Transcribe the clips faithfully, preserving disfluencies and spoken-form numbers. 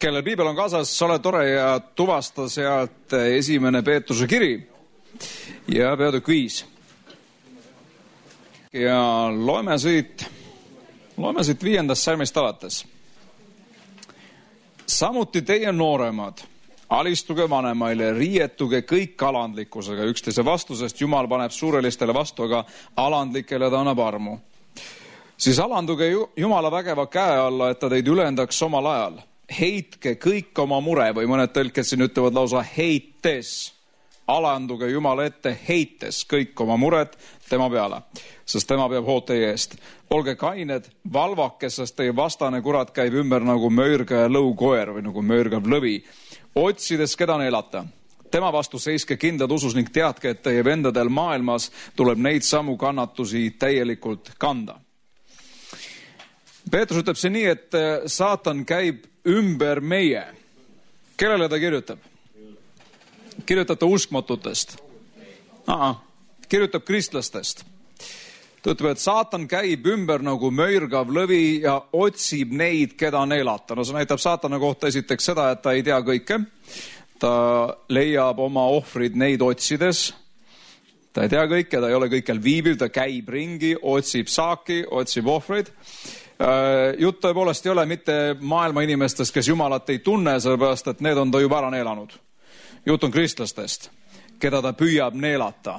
Kellel piibel on kaasas, ole tore ja tuvasta sealt esimene Peetruse kiri ja peatükk viis. Ja loeme siit, loeme siit viiendast salmist alates. Samuti teie nooremad, alistuge vanemaile, riietuge kõik alandlikkusega üksteise vastusest. Jumal paneb suurelistele vastu, aga alandlikele ta annab armu. Siis alanduge Jumala vägeva käe alla, et ta teid ülendaks omal ajal. Heitke kõik oma mure, või mõned tõlked siin ütlevad lausa heites. Alanduge Jumala ette heites kõik oma mured tema peale, sest tema peab hoolt teie eest. Olge kained, valvake, sest teie vastane kurat käib ümber nagu möörga ja lõukoer või nagu möörgav lõvi, otsides keda neelata. Tema vastu seiske kindlad usus ning teadke, et teie vendadel maailmas tuleb neid samu kannatusi täielikult kanda. Peetrus ütleb see nii, et saatan käib ümber meie. Kellele ta kirjutab? Kirjutab ta uskmatutest. Aa, kirjutab kristlastest. Ta ütleb, et saatan käib ümber nagu möörgav lõvi ja otsib neid, keda neelata. No see näitab saatana kohta esiteks seda, et ta ei tea kõike. Ta leiab oma ohvrid neid otsides. Ta ei tea kõike, ta ei ole kõikjal viibiv, ta käib ringi, otsib saaki, otsib ohvrid. Jutt tõepoolest ei ole mitte maailma inimestest, kes Jumalat ei tunne, sellepärast, et need on ta juba ära neelanud. Jutt on kristlastest, keda ta püüab neelata.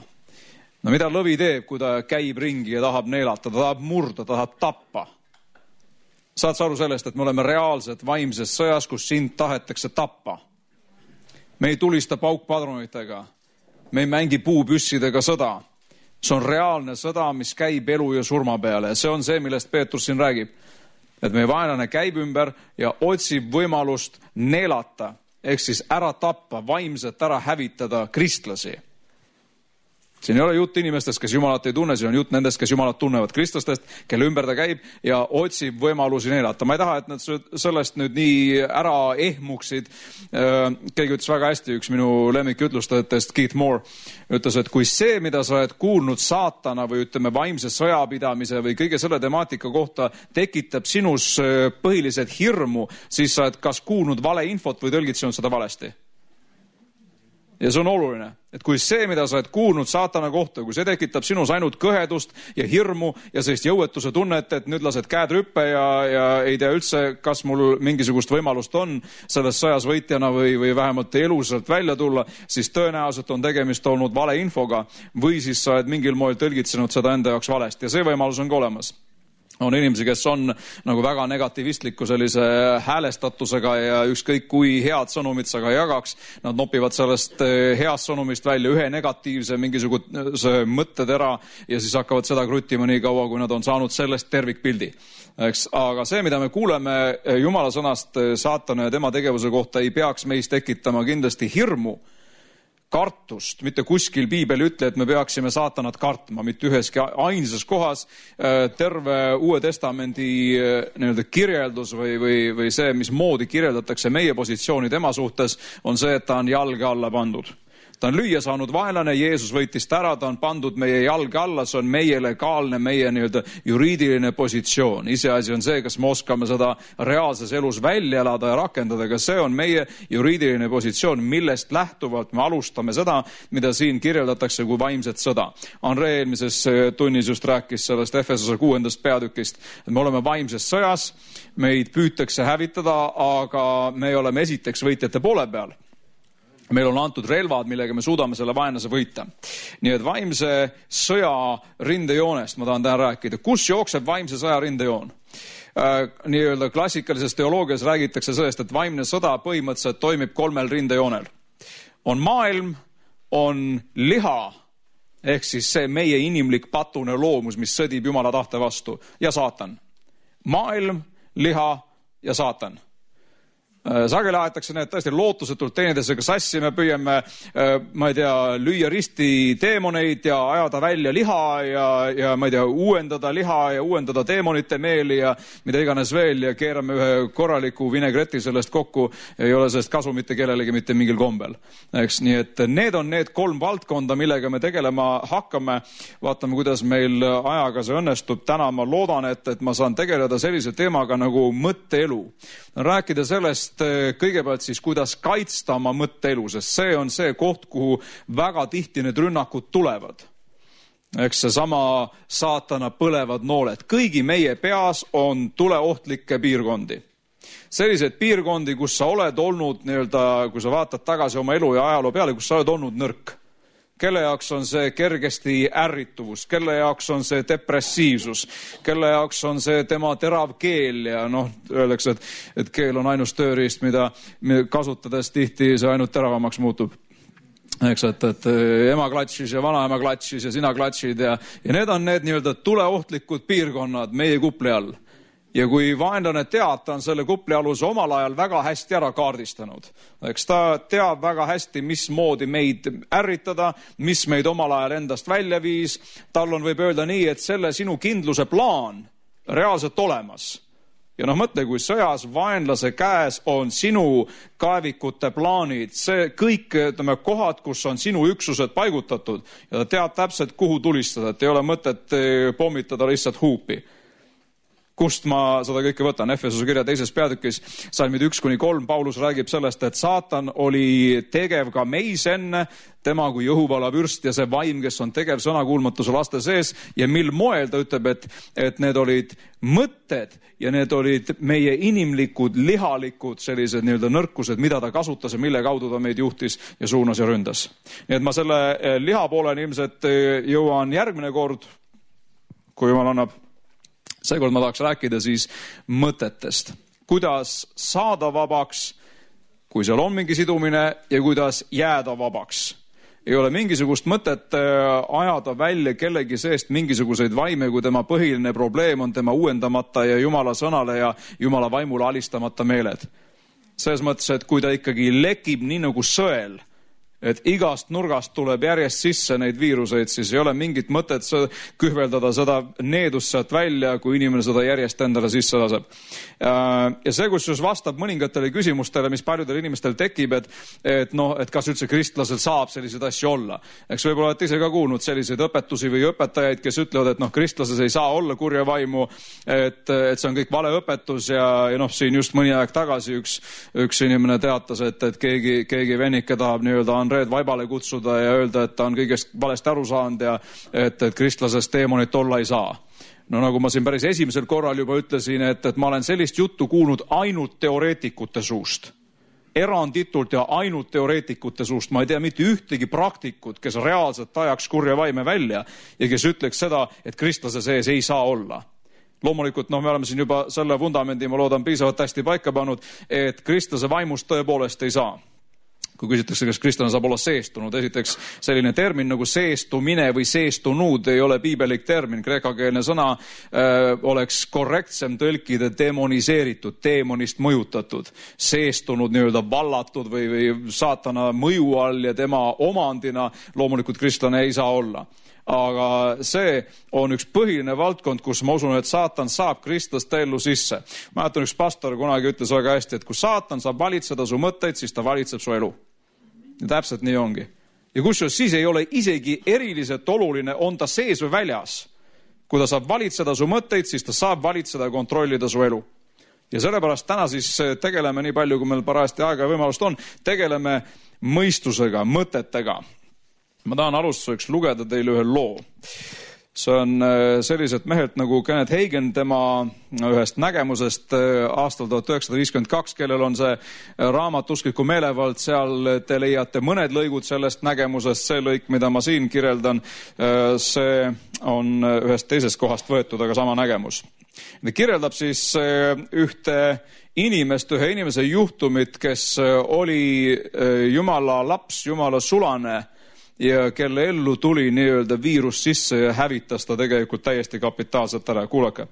No mida lõvi teeb, kui ta käib ringi ja tahab neelata, ta tahab murda, ta tahab tappa. Saad sa aru sellest, et me oleme reaalselt vaimses sõjas, kus sind tahetakse tappa. Me ei tulista paukpadronitega, me ei mängi puupüssidega sõda. See on reaalne sõda, mis käib elu ja surma peale. See on see, millest Peetrus siin räägib. Et meie vaenlane käib ümber ja otsib võimalust neelata, ehk siis ära tappa, vaimselt ära hävitada kristlasi. Siin ei ole jutt inimestest, kes Jumalat ei tunne, siin on jutt nendest, kes Jumalat tunnevad, kristlastest, kelle ümber ta käib ja otsib võimalusi neelata. Ma ei taha, et nad sellest nüüd nii ära ehmuksid. Keegi ütles väga hästi, üks minu lemmikütlustajatest, Keith Moore, ütles, et kui see, mida sa oled kuulnud saatana või ütleme vaimse sõjapidamise või kõige selle temaatika kohta tekitab sinus põhiliselt hirmu, siis sa oled kas kuulnud vale infot või tõlgitsenud seda valesti. Ja see on oluline, et kui see, mida sa oled kuulnud saatana kohta, kui see tekitab sinus ainult kõhedust ja hirmu ja sellist jõuetuse tunnet, et nüüd lased käed rüppe ja, ja ei tea üldse, kas mul mingisugust võimalust on selles sõjas võitjana või, või vähemalt elusalt välja tulla, siis tõenäoliselt on tegemist olnud vale infoga või siis sa oled mingil moel tõlgitsenud seda enda jaoks valesti ja see võimalus on ka olemas. On inimesi, kes on nagu väga negativistliku sellise häälestatusega ja ükskõik kui head sõnumid sa ka jagaks, nad nopivad sellest heast sõnumist välja ühe negatiivse mingisuguse mõttetera ja siis hakkavad seda kruttima nii kaua, kui nad on saanud sellest tervikpildi. Eks? Aga see, mida me kuuleme Jumala sõnast saatana ja tema tegevuse kohta, ei peaks meis tekitama kindlasti hirmu, kartust, mitte kuskil piibel ütle, et me peaksime saatanat kartma, mitte üheski ainsas kohas. Terve Uue Testamendi nii-öelda kirjeldus või, või, või see, mis moodi kirjeldatakse meie positsiooni tema suhtes, on see, et ta on jalge alla pandud. Ta on lüüa saanud vaenlane, Jeesus võitis ta ära, ta on pandud meie jalge alla, see on meie legaalne, meie nii-öelda juriidiline positsioon. Iseasi on see, kas me oskame seda reaalses elus välja elada ja rakendada, aga see on meie juriidiline positsioon, millest lähtuvalt me alustame seda, mida siin kirjeldatakse kui vaimset sõda. Andre eelmises tunnis just rääkis sellest Efesose kuuendast peatükist, et me oleme vaimses sõjas, meid püütakse hävitada, aga me oleme esiteks võitjate poole peal. Meil on antud relvad, millega me suudame selle vaenlase võita. Nii et vaimse sõja rindejoonest ma tahan täna rääkida. Kus jookseb vaimse sõja rindejoon? Äh, nii-öelda klassikalises teoloogias räägitakse sellest, et vaimne sõda põhimõtteliselt toimib kolmel rindejoonel. On maailm, on liha, ehk siis see meie inimlik patune loomus, mis sõdib Jumala tahte vastu, ja saatan. Maailm, liha ja saatan. Sageli aetakse need tõesti lootusetult teenidesega sassi, me püüame, ma ei tea, lüüa risti teemoneid ja ajada välja liha ja, ja ma ei tea, uuendada liha ja uuendada teemonite meeli ja mida iganes veel ja keerame ühe korraliku vinegreti sellest kokku, ei ole sellest kasu mitte kellelegi mitte mingil kombel. Eks, nii et need on need kolm valdkonda, millega me tegelema hakkame. Vaatame, kuidas meil ajaga see õnnestub. Täna ma loodan, et, et ma saan tegeleda sellise teemaga nagu mõtteelu. Rääkida sellest kõigepealt siis, kuidas kaitsta oma mõtteelu, sest see on see koht, kuhu väga tihti need rünnakud tulevad. Eks see sama saatana põlevad nooled. Kõigi meie peas on tuleohtlikke piirkondi. Sellised piirkondi, kus sa oled olnud, nii-öelda, kui sa vaatad tagasi oma elu ja ajaloo peale, kus sa oled olnud nõrk. Kelle jaoks on see kergesti ärrituvus, kelle jaoks on see depressiivsus, kelle jaoks on see tema terav keel ja noh, öeldakse, et, et keel on ainus tööriist, mida kasutades tihti see ainult teravamaks muutub. Eks, et, et ema klatšis ja vanaema klatšis ja sina klatšid ja, ja need on need nii-öelda tuleohtlikud piirkonnad meie kupli all. Ja kui vaenlane teab, ta on selle kuplialuse omal ajal väga hästi ära kaardistanud. Eks ta teab väga hästi, mismoodi meid ärritada, mis meid omal ajal endast välja viis. Tal on, võib öelda nii, et selle sinu kindluse plaan reaalselt olemas. Ja noh, mõtle, kui sõjas vaenlase käes on sinu kaevikute plaanid, see kõik ütleme, kohad, kus on sinu üksused paigutatud ja ta teab täpselt, kuhu tulistada, et ei ole mõtet pommitada lihtsalt huupi. Kust ma seda kõike võtan? Efesuse kirja teises peatükis, salmid üks kuni kolm, Paulus räägib sellest, et saatan oli tegev ka meis enne, tema kui Jõhuvala vürst ja see vaim, kes on tegev sõnakuulmatuse laste sees ja mil moel ta ütleb, et, et need olid mõtted ja need olid meie inimlikud, lihalikud sellised nii-öelda nõrkused, mida ta kasutas ja mille kaudu ta meid juhtis ja suunas ja ründas. Nii et ma selle liha pooleni ilmselt jõuan järgmine kord, kui jumal annab. Seekord ma tahaks rääkida siis mõtetest. Kuidas saada vabaks, kui seal on mingi sidumine ja kuidas jääda vabaks. Ei ole mingisugust mõtet ajada välja kellegi seest mingisuguseid vaime, kui tema põhiline probleem on tema uuendamata ja Jumala sõnale ja Jumala vaimule alistamata meeled. Selles mõttes, et kui ta ikkagi lekib nii nagu sõel, et igast nurgast tuleb järjest sisse neid viiruseid, siis ei ole mingit mõtet kühveldada seda needust sealt välja, kui inimene seda järjest endale sisse laseb. Ja see, kus vastab mõningatele küsimustele, mis paljudel inimestel tekib, et, et, no, et kas üldse kristlasel saab selliseid asju olla. Eks võib-olla olete ise ka kuulnud selliseid õpetusi või õpetajaid, kes ütlevad, et noh, kristlases ei saa olla kurja vaimu, et, et see on kõik vale õpetus ja, ja noh, siin just mõni aeg tagasi üks, üks inimene teatas, et, et keegi, keegi vennike tahab nii-öelda Andreed vaibale kutsuda ja öelda, et ta on kõigest valesti aru saanud ja et, et kristlasest teemonit olla ei saa. No nagu ma siin päris esimesel korral juba ütlesin, et, et ma olen sellist juttu kuulnud ainult teoreetikute suust. Eranditult ja ainult teoreetikute suust. Ma ei tea mitte ühtegi praktikut, kes reaalselt ajaks kurja vaime välja ja kes ütleks seda, et kristlase sees ei saa olla. Loomulikult, no me oleme siin juba selle vundamendi, ma loodan, piisavalt hästi paika pannud, et kristlase vaimust tõepoolest ei saa. Kui küsitakse, kas kristlane saab olla seestunud, esiteks selline termin nagu seestumine või seestunud ei ole piibelik termin. Kreekakeelne sõna äh, oleks korrektsem tõlkida demoniseeritud, deemonist mõjutatud, seestunud, nii-öelda vallatud või, või saatana mõju all ja tema omandina loomulikult kristlane ei saa olla. Aga see on üks põhiline valdkond, kus ma usun, et saatan saab kristlaste ellu sisse. Ma mäletan, üks pastor kunagi ütles väga hästi, et kui saatan saab valitseda su mõtteid, siis ta valitseb su elu. Ja täpselt nii ongi. Ja kusjuures siis ei ole isegi eriliselt oluline, on ta sees või väljas. Kui ta saab valitseda su mõtteid, siis ta saab valitseda ja kontrollida su elu. Ja sellepärast täna siis tegeleme nii palju, kui meil parajasti aega ja võimalust on, tegeleme mõistusega, mõtetega. Ma tahan alustuseks lugeda teile ühe loo. See on selliselt mehelt nagu Kenneth Hagin, tema ühest nägemusest aastal tuhat üheksasada viiskümmend kaks, kellel on see raamat Uskliku meelevald, seal te leiate mõned lõigud sellest nägemusest, see lõik, mida ma siin kirjeldan, see on ühest teisest kohast võetud, aga sama nägemus. Ta kirjeldab siis ühte inimest, ühe inimese juhtumit, kes oli Jumala laps, Jumala sulane, ja kelle ellu tuli nii-öelda viirus sisse ja hävitas ta tegelikult täiesti kapitaalselt ära. Kuulake.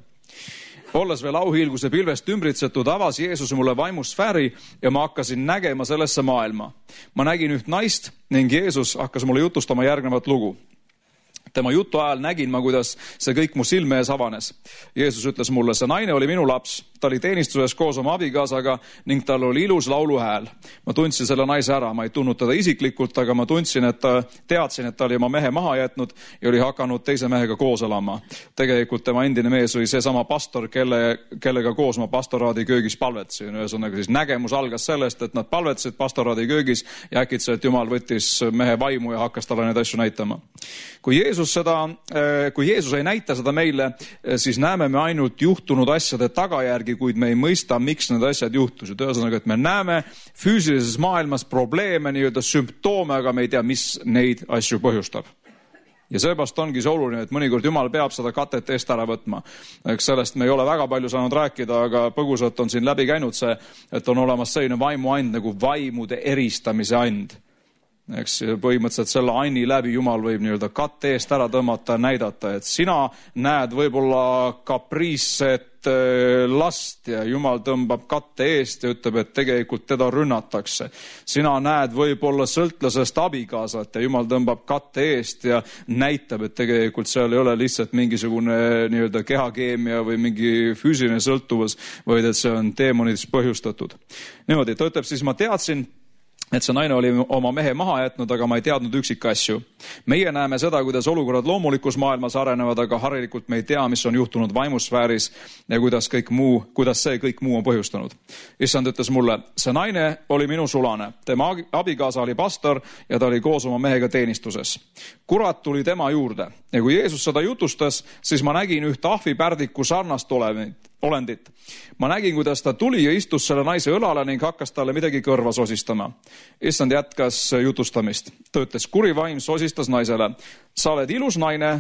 Olles veel auhiilguse pilvest ümbritsetud, avas Jeesus mulle vaimusfääri ja ma hakkasin nägema sellesse maailma. Ma nägin üht naist ning Jeesus hakkas mulle jutustama järgnevat lugu. Tema jutu ajal nägin ma, kuidas see kõik mu silme ees avanes. Jeesus ütles mulle, see naine oli minu laps, ta oli teenistuses koos oma abikaasaga ning tal oli ilus lauluhääl. Ma tundsin selle naise ära, ma ei tundnud teda isiklikult, aga ma tundsin, et ta, teadsin, et ta oli oma mehe maha jätnud ja oli hakanud teise mehega koos elama. Tegelikult tema endine mees oli seesama pastor, kelle, kellega koos ma pastoraadi köögis palvetasin. Ühesõnaga siis nägemus algas sellest, et nad palvetasid pastoraadi köögis ja äkitselt Jumal võttis mehe vaimu ja hakkas talle neid asju näitama. Kui Jeesus, seda, kui Jeesus ei näita seda meile, siis näeme me ainult juhtunud asjade tagajärgi, kuid me ei mõista, miks need asjad juhtusid. Ühesõnaga, et me näeme füüsilises maailmas probleeme, nii-öelda sümptoome, aga me ei tea, mis neid asju põhjustab. Ja seepärast ongi see oluline, et mõnikord Jumal peab seda katet eest ära võtma. Eks sellest me ei ole väga palju saanud rääkida, aga põgusalt on siin läbi käinud see, et on olemas selline vaimuand nagu vaimude eristamise and. Eks põhimõtteliselt selle anni läbi Jumal võib nii-öelda katte eest ära tõmmata ja näidata, et sina näed võib-olla kapriisset last ja Jumal tõmbab katte eest ja ütleb, et tegelikult teda rünnatakse. Sina näed võib-olla sõltlasest abikaasat ja Jumal tõmbab katte eest ja näitab, et tegelikult seal ei ole lihtsalt mingisugune nii-öelda kehakeemia või mingi füüsiline sõltuvus, vaid et see on teemonidest põhjustatud. Niimoodi, ta ütleb siis, ma teadsin, et see naine oli oma mehe maha jätnud, aga ma ei teadnud üksik asju. Meie näeme seda, kuidas olukorrad loomulikus maailmas arenevad, aga harilikult me ei tea, mis on juhtunud vaimusfääris ja kuidas, kõik muu, kuidas see kõik muu on põhjustanud. Issand ütles mulle, see naine oli minu sulane. Tema abikaasa oli pastor ja ta oli koos oma mehega teenistuses. Kurat tuli tema juurde ja kui Jeesus seda jutustas, siis ma nägin ühte ahvipärdiku sarnast olendit. Ma nägin, kuidas ta tuli ja istus selle naise õlale ning hakkas talle midagi kõrva sosistama. Issand jätkas jutustamist. Ta ütles, kuri vaim sosistas naisele. Sa oled ilus naine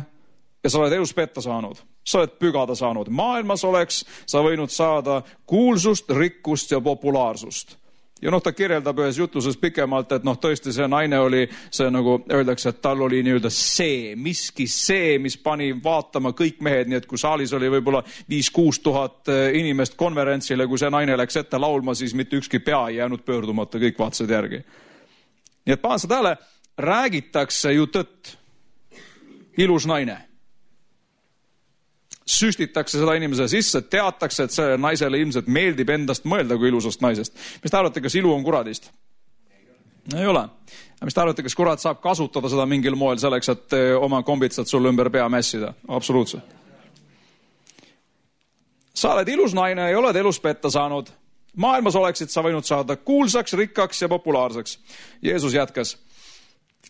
ja sa oled elus petta saanud. Sa oled pügada saanud. Maailmas oleks sa võinud saada kuulsust, rikkust ja populaarsust. Ja noh, ta kirjeldab ühes jutluses pikemalt, et noh, tõesti see naine oli, see nagu öeldakse, et tal oli nii-öelda see, miski see, mis pani vaatama kõik mehed, nii et kui saalis oli võib-olla viis-kuus tuhat inimest konverentsile, kui see naine läks ette laulma, siis mitte ükski pea ei jäänud pöördumata, kõik vaatasid järgi. Nii et pahan seda tähele, räägitakse ju tõtt. Ilus naine. Süstitakse seda inimese sisse, teatakse, et see naisele ilmselt meeldib endast mõelda kui ilusast naisest. Mis te arvate, kas ilu on kuradist? Ei ole. Mis te arvate, kas kurat saab kasutada seda mingil moel selleks, et oma kombitsad sulle ümber pea mässida? Absoluutselt. Sa oled ilus naine ja oled elus petta saanud. Maailmas oleksid sa võinud saada kuulsaks, rikkaks ja populaarseks. Jeesus jätkas.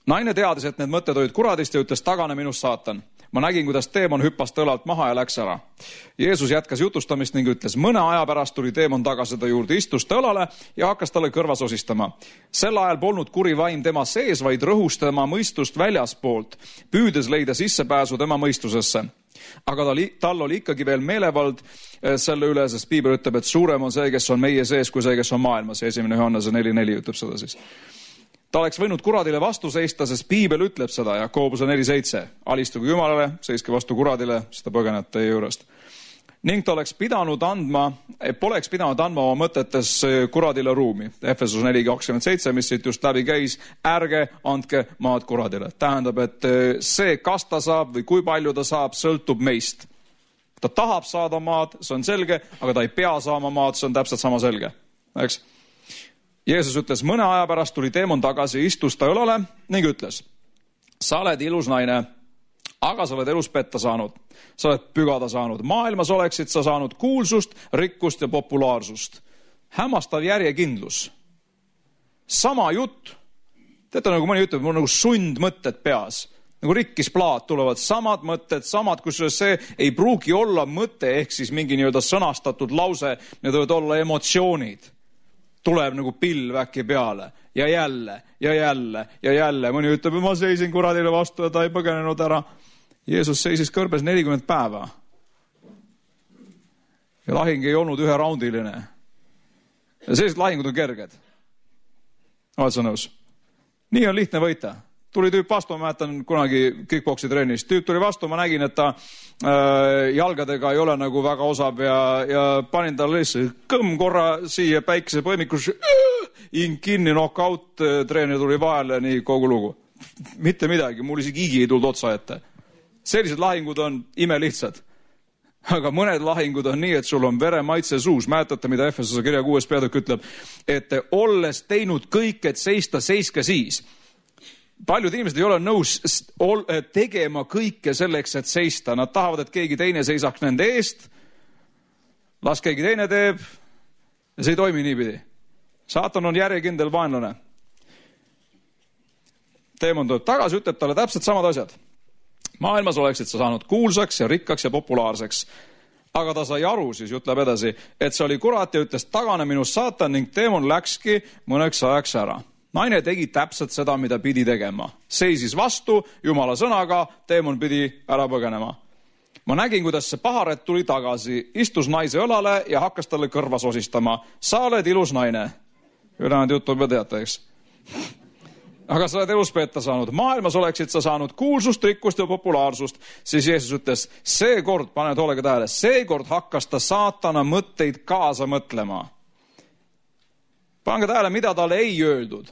Naine teadis, et need mõtted olid kuradist ja ütles, tagane minust saatan. Ma nägin, kuidas teemon hüppas tõlalt maha ja läks ära. Jeesus jätkas jutustamist ning ütles, mõne aja pärast tuli teemon tagasi ta juurde, istus tõlale ja hakkas talle kõrva sosistama. Sel ajal polnud kuri vaim tema sees, vaid rõhus tema mõistust väljaspoolt, püüdes leida sissepääsu tema mõistusesse. Aga tal, tal oli ikkagi veel meelevald selle üle, sest Piibel ütleb, et suurem on see, kes on meie sees, kui see, kes on maailmas. Esimene Johannese neli neli ütleb seda siis. Ta oleks võinud kuradile vastu seista, sest Piibel ütleb seda ja Koobuse neli seitse. Alistuge Jumalale, seiske vastu kuradile, seda põgenete teie juurest. Ning ta oleks pidanud andma, poleks pidanud andma oma mõtetes kuradile ruumi. Efesus neli kakskümmend seitse, mis siit just läbi käis, ärge andke maad kuradile. Tähendab, et see, kas ta saab või kui palju ta saab, sõltub meist. Ta tahab saada maad, see on selge, aga ta ei pea saama maad, see on täpselt sama selge. Eks? Jeesus ütles, mõne aja pärast tuli teemon tagasi, istus ta õlale ning ütles, sa oled ilus naine, aga sa oled elus petta saanud. Sa oled pügada saanud. Maailmas oleksid sa saanud kuulsust, rikkust ja populaarsust. Hämmastav järjekindlus. Sama jutt. Teate, nagu mõni ütleb, mul on nagu sundmõtted peas. Nagu rikkis plaat tulevad samad mõtted, samad, kus see ei pruugi olla mõte, ehk siis mingi nii-öelda sõnastatud lause, need võivad olla emotsioonid. Tuleb nagu pilv äkki peale ja jälle ja jälle ja jälle. Mõni ütleb, ma seisin kuradile vastu ja ta ei põgenenud ära. Jeesus seisis kõrbes nelikümmend päeva. Ja lahing ei olnud ühe raundiline. Ja sellised lahingud on kerged. Oled sa nõus? Nii on lihtne võita. Tuli tüüp vastu, ma mäletan kunagi kickboksi trennis. Tüüp tuli vastu, ma nägin, et ta äh, jalgadega ei ole nagu väga osav ja, ja panin talle lihtsalt kõmm korra siia päikese põimikus, ing kinni, knockout, treener tuli vahele, nii kogu lugu. Mitte midagi, mul isegi igi ei tulnud otsa ette. Sellised lahingud on imelihtsad. aga mõned lahingud on nii, et sul on veremaitse suus. Mäletate, mida Efesose kirja kuues peatükk ütleb, et olles teinud kõik, et seista, seiske siis. Paljud inimesed ei ole nõus tegema kõike selleks, et seista. Nad tahavad, et keegi teine seisaks nende eest. Las keegi teine teeb. Ja see ei toimi niipidi. Saatan on järjekindel vaenlane. Teemon tuleb tagasi, ütleb talle täpselt samad asjad. Maailmas oleksid sa saanud kuulsaks ja rikkaks ja populaarseks. Aga ta sai aru, siis ütleb edasi, et see oli kurat ja ütles, tagane minust saatan ning teemon läkski mõneks ajaks ära. Naine tegi täpselt seda, mida pidi tegema. Seisis vastu Jumala sõnaga, teemon pidi ära põgenema. Ma nägin, kuidas see paharet tuli tagasi, istus naise õlale ja hakkas talle kõrva sosistama. Sa oled ilus naine. Ülejäänud juttu juba teate, eks? Aga sa oled elus peeta saanud. Maailmas oleksid sa saanud kuulsust, rikkust ja populaarsust. Siis Jeesus ütles, seekord, paned hoolega tähele, seekord hakkas ta saatana mõtteid kaasa mõtlema. Pange tähele, mida talle ei öeldud.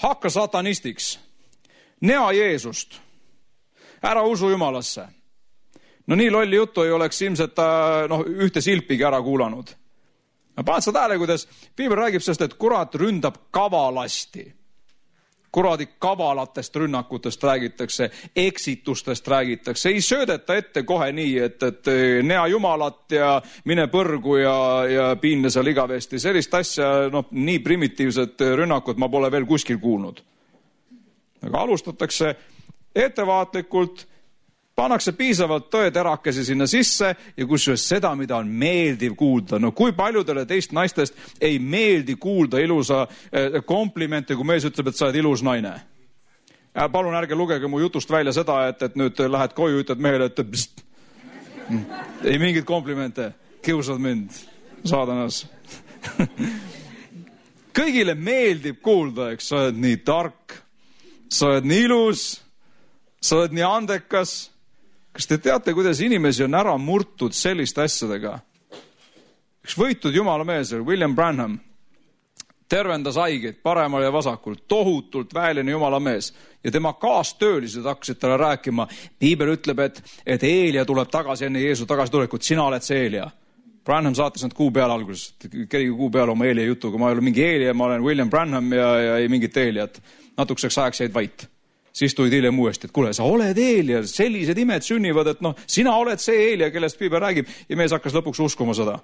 Hakka satanistiks. Nea Jeesust. Ära usu Jumalasse. No nii lolli juttu ei oleks ilmselt ta no, ühte silpigi ära kuulanud. Paned sa tähele, kuidas Piibel räägib sellest, et kurat ründab kavalasti. Kuradi kavalatest rünnakutest räägitakse, eksitustest räägitakse. Ei söödeta ette kohe nii, et, et nea Jumalat ja mine põrgu ja, ja piinle seal igavesti. Sellist asja, no, nii primitiivset rünnakut ma pole veel kuskil kuulnud. Aga alustatakse ettevaatlikult, pannakse piisavalt tõeterakesi sinna sisse ja kusjuures seda, mida on meeldiv kuulda. No kui paljudele teist naistest ei meeldi kuulda ilusa komplimente, kui mees ütleb, et sa oled ilus naine. Palun ärge lugege mu jutust välja seda, et, et nüüd lähed koju, ütled mehele, et pst. Ei mingit komplimente, kiusad mind, saadanas. Kõigile meeldib kuulda, eks sa oled nii tark, sa oled nii ilus, sa oled nii andekas. Kas te teate, kuidas inimesi on ära murtud selliste asjadega? Üks võitud jumala mees, William Branham, tervendas haigeid paremal ja vasakul, tohutult väeline jumala mees. Ja tema kaastöölised hakkasid talle rääkima. Piibel ütleb, et, et Eelia tuleb tagasi enne Jeesu tagasi tulekut. Sina oled see Eelia. Branham saatis nad kuu peale alguses. Kerige kuu peale oma Eelia jutuga. Ma ei ole mingi Eelia, ma olen William Branham ja, ja ei mingit Eeliat. Natukeseks ajaks jäid vait. Siis tulid hiljem uuesti, et kuule, sa oled Eelia, sellised imed sünnivad, et noh, sina oled see Eelia, kellest Piibel räägib, ja mees hakkas lõpuks uskuma seda.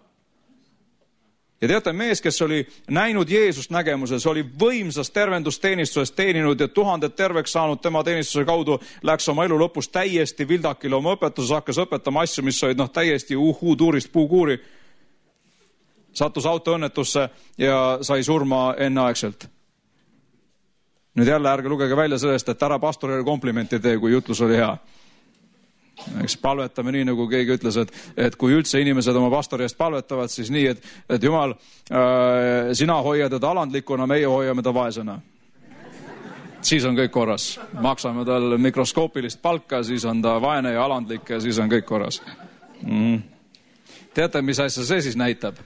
Ja teate, mees, kes oli näinud Jeesust nägemuses, oli võimsas tervendusteenistuses teeninud ja tuhanded terveks saanud tema teenistuse kaudu, läks oma elu lõpus täiesti vildakile oma õpetuses, hakkas õpetama asju, mis olid noh, täiesti uhuu tuurist puukuuri. Sattus autoõnnetusse ja sai surma enneaegselt. Nüüd jälle ärge lugege välja sellest, et ära pastorile komplimenti tee, kui jutlus oli hea. Eks palvetame nii, nagu keegi ütles, et, et kui üldse inimesed oma pastori eest palvetavad, siis nii, et, et Jumal, äh, sina hoiad teda alandlikuna, meie hoiame ta vaesena. Siis on kõik korras. Maksame tal mikroskoopilist palka, siis on ta vaene ja alandlik ja siis on kõik korras. Mm. Teate, mis asja see siis näitab?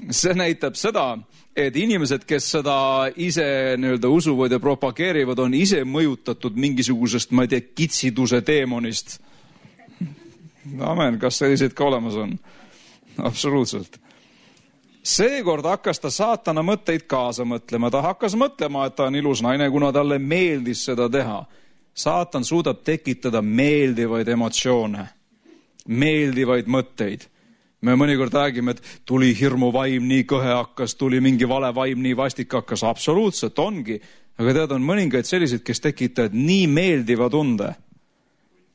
See näitab seda, et inimesed, kes seda ise nii-öelda usuvad ja propageerivad, on ise mõjutatud mingisugusest, ma ei tea, kitsiduse teemonist. Amen, kas sellised ka olemas on? Absoluutselt. Seekord hakkas ta saatana mõtteid kaasa mõtlema. Ta hakkas mõtlema, et ta on ilus naine, kuna talle meeldis seda teha. Saatan suudab tekitada meeldivaid emotsioone, meeldivaid mõtteid. Me mõnikord räägime, et tuli hirmu vaim, nii kõhe hakkas, tuli mingi vale vaim, nii vastik hakkas. Absoluutselt ongi. Aga tead, on mõningaid selliseid, kes tekitavad nii meeldiva tunde.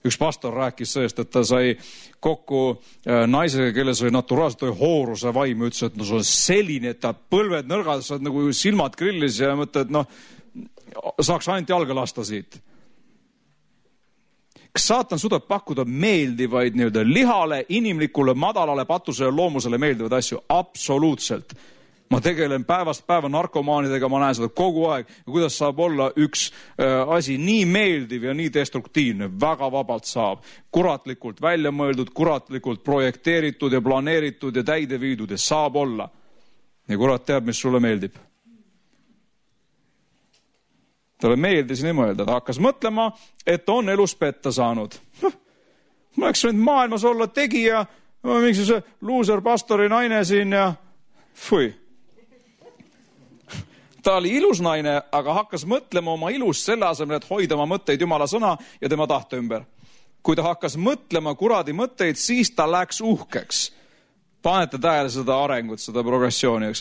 Üks pastor rääkis sellest, et ta sai kokku naisega, kelles oli naturaalselt oli hooruse vaim. Ütles, et no see on selline, et ta põlved nõrgad, saad nagu silmad grillis ja mõtled, et noh, saaks ainult jalga lasta siit. Kas saatan suudab pakkuda meeldivaid nii-öelda lihale, inimlikule, madalale, patusele, loomusele meeldivaid asju? Absoluutselt. Ma tegelen päevast päeva narkomaanidega, ma näen seda kogu aeg. Ja kuidas saab olla üks äh, asi nii meeldiv ja nii destruktiivne? Väga vabalt saab. Kuratlikult välja mõeldud, kuratlikult projekteeritud ja planeeritud ja täide viidud ja saab olla. Ja kurat teab, mis sulle meeldib. Talle meeldis nii mõelda. Ta hakkas mõtlema, et on elus petta saanud. ma oleks võinud maailmas olla tegija, mingi see luuser pastori naine siin ja fui. Ta oli ilus naine, aga hakkas mõtlema oma ilust selle asemel, et hoida oma mõtteid Jumala sõna ja tema tahte ümber. Kui ta hakkas mõtlema kuradi mõtteid, siis ta läks uhkeks. Panete tähele seda arengut, seda progressiooni.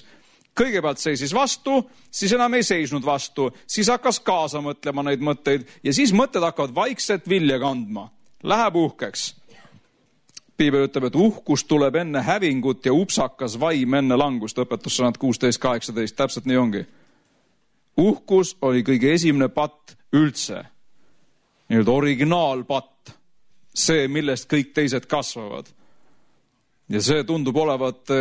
Kõigepealt seisis vastu, siis enam ei seisnud vastu, siis hakkas kaasa mõtlema neid mõtteid ja siis mõtted hakkavad vaikselt vilja kandma. Läheb uhkeks. Piibel ütleb, et uhkus tuleb enne hävingut ja upsakas vaim enne langust. Õpetussõnad kuusteist kaheksateist, täpselt nii ongi. Uhkus oli kõige esimene patt üldse. Nii-öelda originaalpatt. See, millest kõik teised kasvavad. Ja see tundub olevat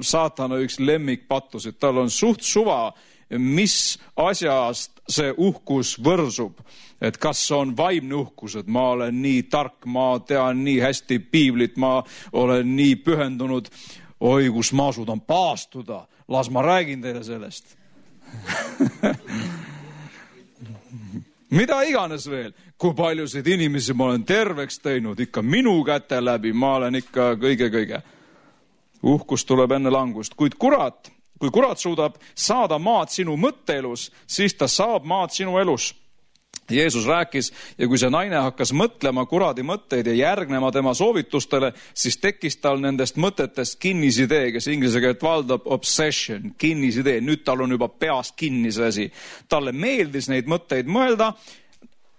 saatana üks lemmikpattusid. Tal on suht suva, mis asjast see uhkus võrsub. Et kas on vaimne uhkus, et ma olen nii tark, ma tean nii hästi piiblit, ma olen nii pühendunud. Oi, kus ma suudan paastuda. Las ma räägin teile sellest. Mida iganes veel, kui paljusid inimesi ma olen terveks teinud, ikka minu käte läbi, ma olen ikka kõige-kõige. Uhkus tuleb enne langust, kuid kurat, kui kurat suudab saada maad sinu mõtteelus, siis ta saab maad sinu elus. Jeesus rääkis ja kui see naine hakkas mõtlema kuradi mõtteid ja järgnema tema soovitustele, siis tekkis tal nendest mõtetest kinnisidee, kes inglise keelt valdab obsession, kinnisidee. Nüüd tal on juba peas kinni see asi. Talle meeldis neid mõtteid mõelda.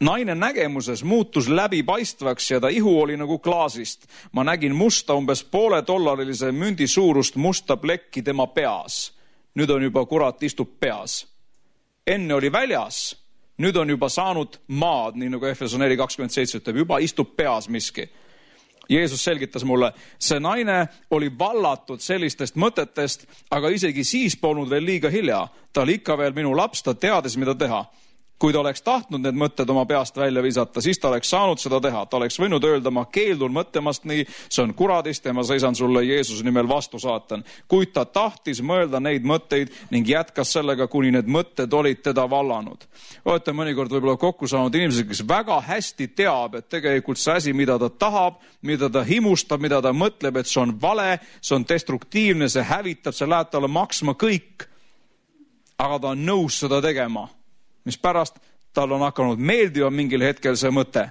Naine nägemuses muutus läbipaistvaks ja ta ihu oli nagu klaasist. Ma nägin musta umbes poole dollarilise mündi suurust musta plekki tema peas. Nüüd on juba kurat istub peas. Enne oli väljas. Nüüd on juba saanud maad, nii nagu Efeson neli kakskümmend seitse ütleb, juba istub peas miski. Jeesus selgitas mulle, see naine oli vallatud sellistest mõtetest, aga isegi siis polnud veel liiga hilja. Ta oli ikka veel minu laps, ta teadis, mida teha. Kui ta oleks tahtnud need mõtted oma peast välja visata, siis ta oleks saanud seda teha. Ta oleks võinud öelda, ma keeldun mõtlemast nii, see on kuradist ja ma seisan sulle Jeesuse nimel vastu saatan. Kuid ta tahtis mõelda neid mõtteid ning jätkas sellega, kuni need mõtted olid teda vallanud. Olete mõnikord võib-olla kokku saanud inimesed, kes väga hästi teab, et tegelikult see asi, mida ta tahab, mida ta himustab, mida ta mõtleb, et see on vale, see on destruktiivne, see hävitab, see läheb talle maksma kõik. Aga ta on nõus seda tegema. Mis pärast tal on hakanud meeldiva mingil hetkel see mõte.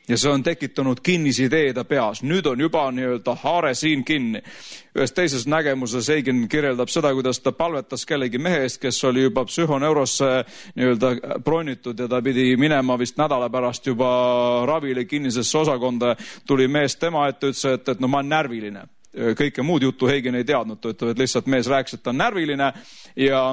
Ja see on tekitanud kinnisideeda peas. Nüüd on juba nii-öelda haare siin kinni. Ühes teises nägemuses Eigen kirjeldab seda, kuidas ta palvetas kellegi mehe eest, kes oli juba psühhoneurosse nii-öelda bronitud ja ta pidi minema vist nädala pärast juba ravile kinnisesse osakonda. Tuli mees tema ette, ütles, et, et no ma olen närviline. Kõike muud juttu Eigen ei teadnud. Ta ütleb, et lihtsalt mees rääkis, et ta on närviline ja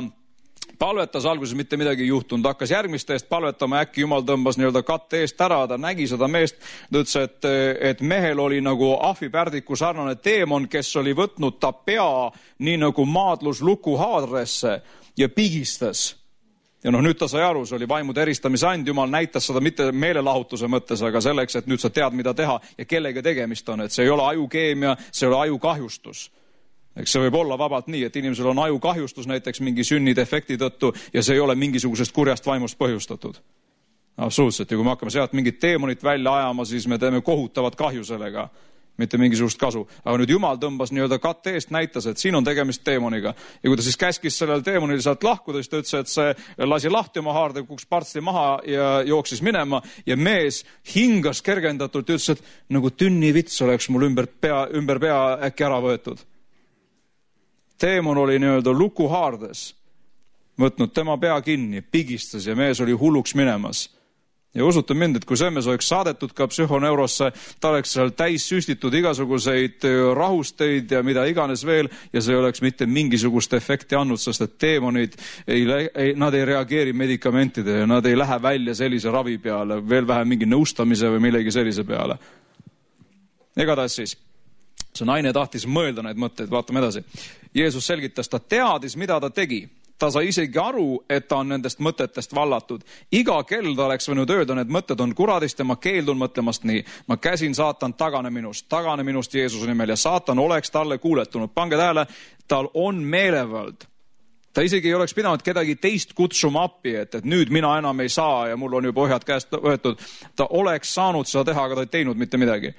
palvetas alguses mitte midagi ei juhtunud, hakkas järgmiste eest palvetama, äkki Jumal tõmbas nii-öelda katte eest ära, ta nägi seda meest, ta ütles, et, et mehel oli nagu ahvipärdiku sarnane teemon, kes oli võtnud ta pea nii nagu maadlus luku haadresse ja pigistas. Ja noh, nüüd ta sai aru, see oli vaimude eristamise and, Jumal näitas seda mitte meelelahutuse mõttes, aga selleks, et nüüd sa tead, mida teha ja kellega tegemist on, et see ei ole ajukeemia, see ei ole ajukahjustus. Eks see võib olla vabalt nii, et inimesel on ajukahjustus näiteks mingi sünnidefekti tõttu ja see ei ole mingisugusest kurjast vaimust põhjustatud. Absoluutselt. Ja kui me hakkame sealt mingit teemonit välja ajama, siis me teeme kohutavat kahju sellega, mitte mingisugust kasu. Aga nüüd Jumal tõmbas nii-öelda katte eest, näitas, et siin on tegemist teemoniga. Ja kui ta siis käskis sellel teemonil sealt lahkuda, siis ta ütles, et see lasi lahti oma haarde, kuks partsti maha ja jooksis minema. Ja mees hingas kergendatult ja ütles, et nagu tünnivits oleks mul ümber pea, ümber pea äkki ära võetud. Teemon oli nii-öelda luku haardes, võtnud tema pea kinni, pigistas ja mees oli hulluks minemas. Ja usute mind, et kui see mees oleks saadetud ka psühhoneurosse, ta oleks seal täis süstitud igasuguseid rahusteid ja mida iganes veel ja see oleks mitte mingisugust efekti andnud, sest et teemonid, ei, ei, nad ei reageeri medikamentide ja nad ei lähe välja sellise ravi peale, veel vähem mingi nõustamise või millegi sellise peale. Igatahes siis. See naine tahtis mõelda neid mõtteid, vaatame edasi. Jeesus selgitas, ta teadis, mida ta tegi. Ta sai isegi aru, et ta on nendest mõtetest vallatud. Iga kell ta oleks võinud öelda, need mõtted on kuradist ja ma keeldun mõtlemast nii. Ma käsin saatan tagane minust, tagane minust Jeesuse nimel ja saatan oleks talle kuuletunud. Pange tähele, tal on meelevald. ta isegi ei oleks pidanud kedagi teist kutsuma appi, et, et nüüd mina enam ei saa ja mul on juba ohjad käest võetud. Ta oleks saanud seda teha, aga ta ei teinud mitte midagi.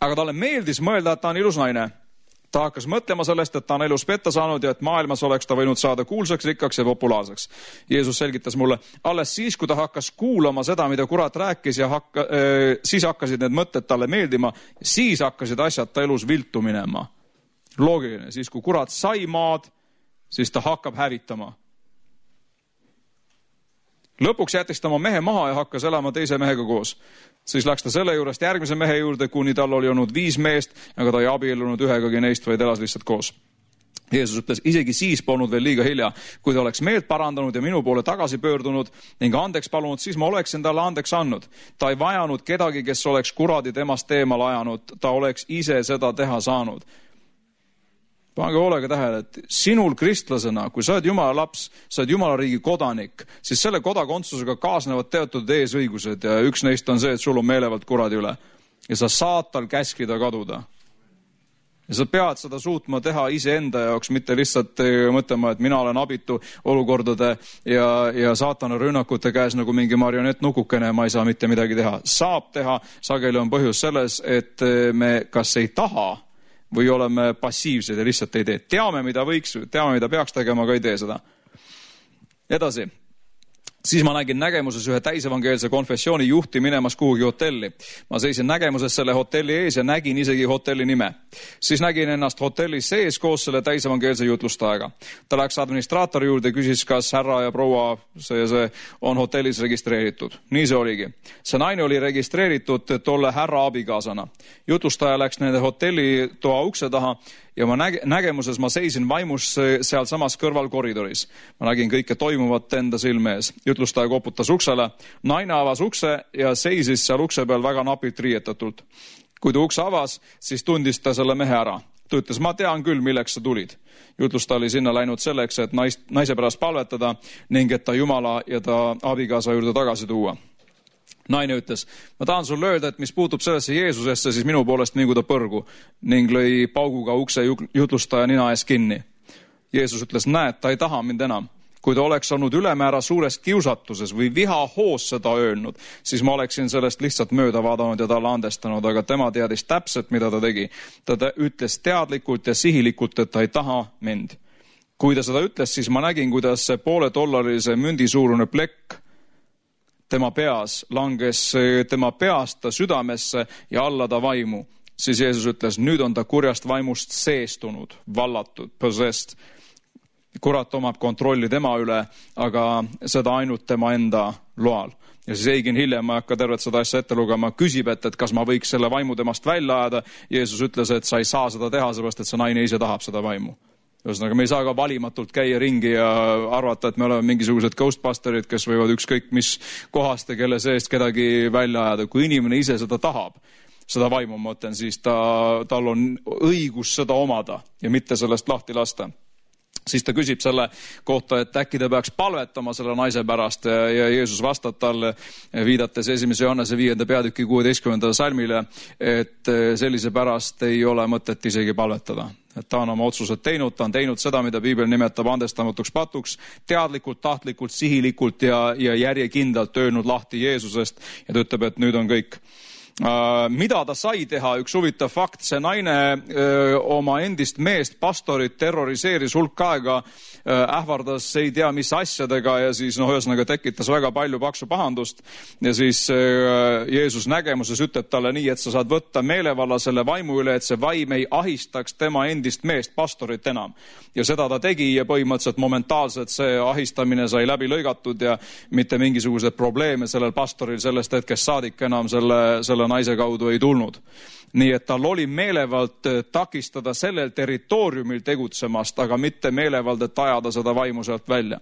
Aga talle meeldis mõelda, et ta on ilus naine. Ta hakkas mõtlema sellest, et ta on elus petta saanud ja et maailmas oleks ta võinud saada kuulsaks, rikkaks ja populaarseks. Jeesus selgitas mulle, alles siis, kui ta hakkas kuulama seda, mida kurat rääkis ja hakka, äh, siis hakkasid need mõtted talle meeldima, siis hakkasid asjad ta elus viltu minema. Loogiline, siis kui kurat sai maad, siis ta hakkab hävitama. Lõpuks jättis ta oma mehe maha ja hakkas elama teise mehega koos. Siis läks ta selle juurest järgmise mehe juurde, kuni tal oli olnud viis meest, aga ta ei abiellunud ühegagi neist, vaid elas lihtsalt koos. Jeesus ütles, isegi siis polnud veel liiga hilja. Kui ta oleks meelt parandanud ja minu poole tagasi pöördunud ning andeks palunud, siis ma oleksin talle andeks andnud. Ta ei vajanud kedagi, kes oleks kuradi temast teemal ajanud. Ta oleks ise seda teha saanud. Pange hoolega tähele, et sinul kristlasena, kui sa oled Jumala laps, sa oled Jumala riigi kodanik, siis selle kodakondsusega kaasnevad teatud eesõigused ja üks neist on see, et sul on meelevald kuradi üle. Ja sa saad tal käskida kaduda. Ja sa pead seda suutma teha iseenda jaoks, mitte lihtsalt mõtlema, et mina olen abitu olukordade ja, ja saatana rünnakute käes nagu mingi marionett nukukene, ma ei saa mitte midagi teha. Saab teha, sageli on põhjus selles, et me kas ei taha või oleme passiivsed ja lihtsalt ei tee. Teame, mida võiks, teame, mida peaks tegema, aga ei tee seda. Edasi. Siis ma nägin nägemuses ühe täisevangeelse konfessiooni juhti minemas kuhugi hotelli. Ma seisin nägemuses selle hotelli ees ja nägin isegi hotelli nime. Siis nägin ennast hotelli sees koos selle täisevangeelse jutlustajaga. Ta läks administraatori juurde ja küsis, kas härra ja proua see, see on hotellis registreeritud. Nii see oligi. See naine oli registreeritud tolle härra abikaasana. Jutlustaja läks nende hotelli toa ukse taha ja ma näge, nägemuses ma seisin vaimus seal samas kõrval koridoris. Ma nägin kõike toimuvat enda silme ees. Jutlustaja koputas uksele. Naine avas ukse ja seisis seal ukse peal väga napilt riietatult. Kui ta ukse avas, siis tundis ta selle mehe ära. Ta ütles, ma tean küll, milleks sa tulid. Jutlustaja oli sinna läinud selleks, et nais, naise pärast palvetada ning et ta Jumala ja ta abikaasa juurde tagasi tuua. Naine ütles, ma tahan sulle öelda, et mis puutub sellesse Jeesusesse, siis minu poolest mingu ta põrgu ning lõi pauguga ukse jutlustaja nina ees kinni. Jeesus ütles, näed, ta ei taha mind enam. Kui ta oleks olnud ülemäära suures kiusatuses või vihahoos seda öelnud, siis ma oleksin sellest lihtsalt mööda vaadanud ja talle andestanud, aga tema teadis täpselt, mida ta tegi. Ta ütles teadlikult ja sihilikult, et ta ei taha mind. Kui ta seda ütles, siis ma nägin, kuidas see poole dollarilise mündi suurune plekk tema peas langes tema peast ta südamesse ja alla ta vaimu. Siis Jeesus ütles, nüüd on ta kurjast vaimust seestunud, vallatud, possessed. Kurat omab kontrolli tema üle, aga seda ainult tema enda loal. Ja siis Eigin hiljem, ma ei hakka tervet seda asja ette lugema, küsib, et, et kas ma võiks selle vaimu temast välja ajada. Jeesus ütles, et sa ei saa seda teha, seepärast, et see naine ise tahab seda vaimu. Ühesõnaga, me ei saa ka valimatult käia ringi ja arvata, et me oleme mingisugused ghostbusterid, kes võivad ükskõik mis kohast ja kelle seest kedagi välja ajada. Kui inimene ise seda tahab, seda vaimu mõtlen, siis ta, tal on õigus seda omada ja mitte sellest lahti lasta. Siis ta küsib selle kohta, et äkki ta peaks palvetama selle naise pärast ja, ja Jeesus vastab talle, viidates esimese Johannese viienda peatüki kuueteistkümnendale salmile, et sellise pärast ei ole mõtet isegi palvetada. Et ta on oma otsused teinud, ta on teinud seda, mida Piibel nimetab andestamatuks patuks, teadlikult, tahtlikult, sihilikult ja, ja järjekindlalt öelnud lahti Jeesusest ja ta ütleb, et nüüd on kõik. Uh, mida ta sai teha, üks huvitav fakt, see naine uh, oma endist meest pastorit terroriseeris hulk aega, uh, ähvardas ei tea mis asjadega ja siis noh, ühesõnaga tekitas väga palju paksu pahandust ja siis uh, Jeesus nägemuses ütleb talle nii, et sa saad võtta meelevalla selle vaimu üle, et see vaim ei ahistaks tema endist meest pastorit enam. Ja seda ta tegi ja põhimõtteliselt momentaalselt see ahistamine sai läbi lõigatud ja mitte mingisugused probleeme sellel pastoril sellest hetkest saadik enam selle, selle naise kaudu ei tulnud. Nii et tal oli meelevald takistada sellel territooriumil tegutsemast, aga mitte meelevald, et ajada seda vaimu sealt välja.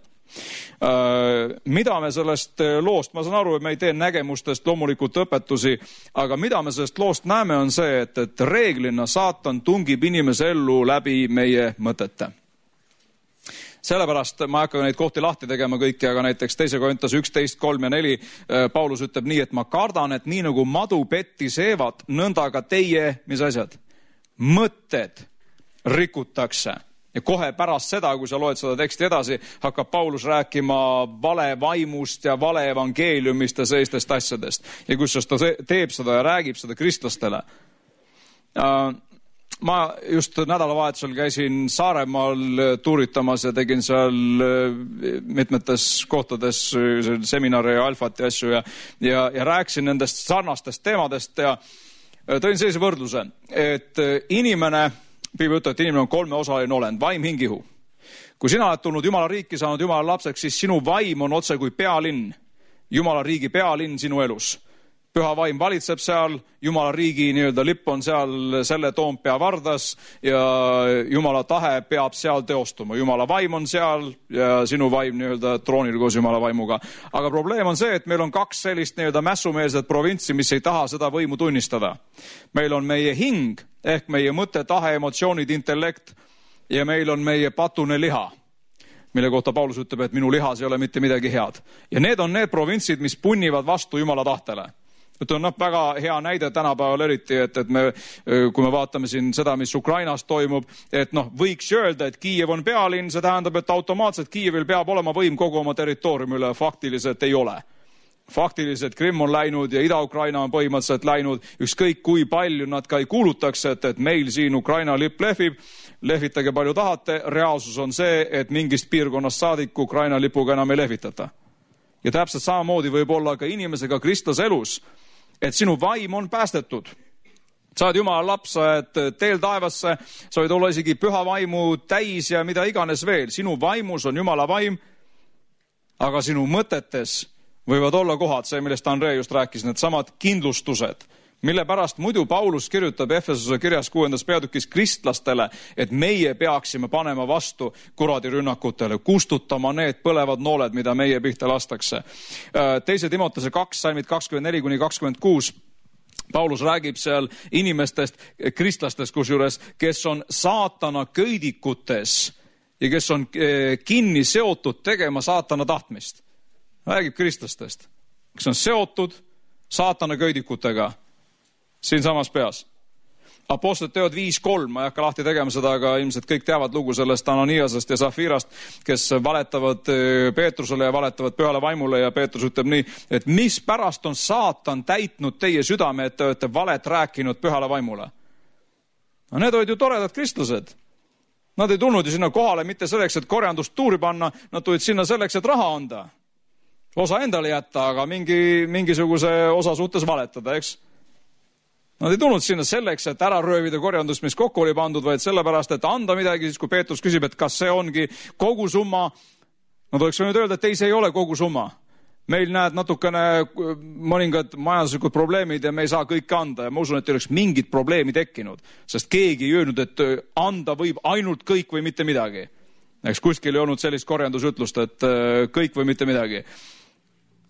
Mida me sellest loost, ma saan aru, et me ei tee nägemustest loomulikult õpetusi, aga mida me sellest loost näeme on see, et, et reeglina saatan tungib inimese ellu läbi meie mõtete. Sellepärast ma ei hakka neid kohti lahti tegema kõiki, aga näiteks teise Korintuse üksteist, kolm ja neli Paulus ütleb nii, et ma kardan, et nii nagu madu petti seevad, nõnda ka teie, mis asjad? Mõtted rikutakse. Ja kohe pärast seda, kui sa loed seda teksti edasi, hakkab Paulus rääkima vale vaimust ja vale evangeeliumist ja sellistest asjadest. Ja kus ta teeb seda ja räägib seda kristlastele. Ma just nädalavahetusel käisin Saaremaal tuuritamas ja tegin seal mitmetes kohtades seminare ja alfat ja asju ja, ja, ja rääkisin nendest sarnastest teemadest ja tõin sellise võrdluse, et inimene, Piibel ütleb, et inimene on kolmeosaline olend, vaim, hing, ihu. Kui sina oled tulnud Jumala riiki, saanud Jumala lapseks, siis sinu vaim on otse kui pealinn, Jumala riigi pealinn sinu elus. Püha vaim valitseb seal, Jumala riigi nii-öelda lipp on seal selle Toompea vardas ja Jumala tahe peab seal teostuma. Jumala vaim on seal ja sinu vaim nii-öelda troonil koos Jumala vaimuga. Aga probleem on see, et meil on kaks sellist nii-öelda mässumeelset provintsi, mis ei taha seda võimu tunnistada. Meil on meie hing ehk meie mõte, tahe, emotsioonid, intellekt ja meil on meie patune liha, mille kohta Paulus ütleb, et minu lihas ei ole mitte midagi head. Ja need on need provintsid, mis punnivad vastu Jumala tahtele. Et on noh, väga hea näide tänapäeval eriti, et, et me, kui me vaatame siin seda, mis Ukrainas toimub, et noh, võiks öelda, et Kiiev on pealinn, see tähendab, et automaatselt Kiievil peab olema võim kogu oma territooriumi üle, faktiliselt ei ole. Faktiliselt Krimm on läinud ja Ida-Ukraina on põhimõtteliselt läinud, ükskõik kui palju nad ka ei kuulutaks, et, et meil siin Ukraina lipp lehvib, lehvitage palju tahate, reaalsus on see, et mingist piirkonnast saadik Ukraina lipuga enam ei lehvitata. Ja täpselt samamoodi võib olla ka inimesega kristlase elus, et sinu vaim on päästetud. Sa oled Jumala laps, sa oled teel taevasse, sa võid olla isegi püha vaimu täis ja mida iganes veel. Sinu vaimus on Jumala vaim, aga sinu mõtetes võivad olla kohad, see, millest Andrei just rääkis, need samad kindlustused, mille pärast muidu Paulus kirjutab Efesuse kirjas kuuendas peatükis kristlastele, et meie peaksime panema vastu kuradi rünnakutele, kustutama need põlevad nooled, mida meie pihta lastakse. Teise Timotese kaks, salmid kakskümmend neli kuni kakskümmend kuus, Paulus räägib seal inimestest, kristlastest kusjuures, kes on saatana köidikutes ja kes on kinni seotud tegema saatana tahtmist. Räägib kristlastest, kes on seotud saatana köidikutega siin samas peas. Apostlite teod viis kolm, ma ei hakka lahti tegema seda, aga ilmselt kõik teavad lugu sellest Ananiasest ja Safirast, kes valetavad Peetrusele ja valetavad pühale vaimule ja Peetrus ütleb nii, et mis pärast on saatan täitnud teie südame, et te olete valet rääkinud pühale vaimule. No need olid ju toredad kristlased. Nad ei tulnud ju sinna kohale mitte selleks, et korjandust tuuri panna, nad tulid sinna selleks, et raha anda. Osa endale jätta, aga mingi, mingisuguse osa suhtes valetada, eks? Nad ei tulnud sinna selleks, et ära röövida korjandust, mis kokku oli pandud, vaid sellepärast, et anda midagi, siis kui Peetrus küsib, et kas see ongi kogu summa, nad oleks võinud öelda, et ei, see ei ole kogu summa. Meil näed natukene mõningad majanduslikud probleemid ja me ei saa kõike anda ja ma usun, et ei oleks mingit probleemi tekkinud, sest keegi ei öelnud, et anda võib ainult kõik või mitte midagi. Eks kuskil ei olnud sellist korjandusütlust, et kõik või mitte midagi.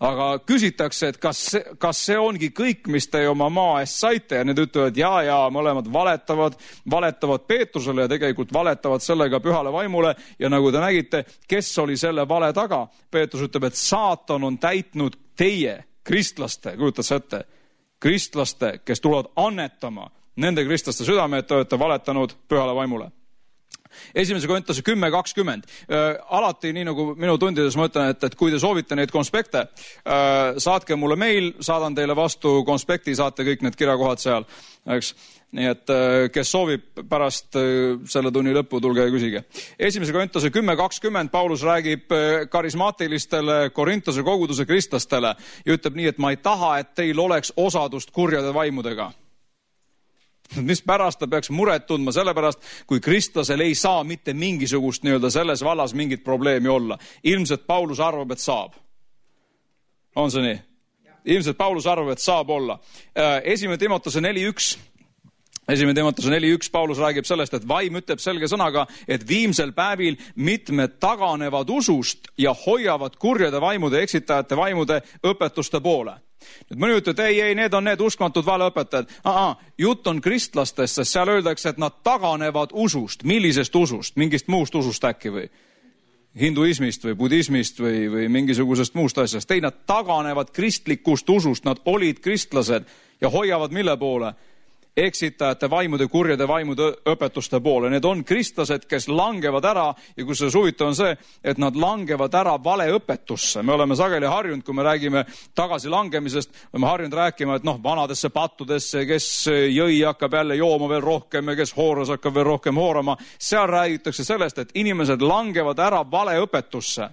Aga küsitakse, et kas see, kas see ongi kõik, mis te oma maa eest saite ja need ütlevad, ja, ja mõlemad valetavad, valetavad Peetrusele ja tegelikult valetavad sellega pühale vaimule ja nagu te nägite, kes oli selle vale taga? Peetrus ütleb, et saatan on täitnud teie, kristlaste, kujutad sa ette, kristlaste, kes tulevad annetama nende kristlaste südame, et te olete valetanud pühale vaimule. Esimese Korintuse kümme kakskümmend. Äh, alati, nii nagu minu tundides ma ütlen, et, et kui te soovite neid konspekte, äh, saatke mulle meil, saadan teile vastu konspekti, saate kõik need kirjakohad seal. Eks? Nii et äh, kes soovib pärast äh, selle tunni lõppu, tulge ja küsige. Esimese Korintuse kümme kakskümmend Paulus räägib äh, karismaatilistele Korintuse koguduse kristlastele ja ütleb nii, et ma ei taha, et teil oleks osadust kurjade vaimudega. Mis pärast ta peaks muret tundma, sellepärast kui kristlasel ei saa mitte mingisugust nii-öelda selles vallas mingit probleemi olla. Ilmselt Paulus arvab, et saab. On see nii? Ilmselt Paulus arvab, et saab olla. Esimene Timotese neli üks. Esimene Timotese neli üks Paulus räägib sellest, et vaim ütleb selge sõnaga, et viimsel päevil mitmed taganevad usust ja hoiavad kurjade vaimude, eksitajate vaimude õpetuste poole. Nüüd mõni ütleb, et ei, ei, need on need uskmatud valeõpetajad. Aha, jutt on kristlastest, sest seal öeldakse, et nad taganevad usust. Millisest usust? Mingist muust usust äkki või? Hinduismist või budismist või, või mingisugusest muust asjast. Ei, nad taganevad kristlikust usust. Nad olid kristlased ja hoiavad mille poole? eksitajate vaimude, kurjade vaimude õpetuste poole. Need on kristlased, kes langevad ära ja kus see huvitav on see, et nad langevad ära vale õpetusse. Me oleme sageli harjunud, kui me räägime tagasi langemisest, oleme harjunud rääkima, et noh, vanadesse pattudesse, kes jõi hakkab jälle jooma veel rohkem ja kes hooras hakkab veel rohkem hoorama. Seal räägitakse sellest, et inimesed langevad ära vale õpetusse.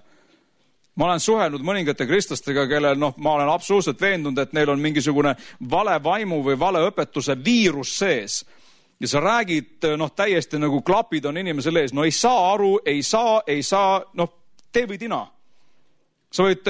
Ma olen suhelnud mõningate kristlastega, kellel noh, ma olen absoluutselt veendunud, et neil on mingisugune vale vaimu või vale õpetuse viirus sees. Ja sa räägid, noh, täiesti nagu klapid on inimesel ees. No ei saa aru, ei saa, ei saa, noh, tee või tina. Sa võid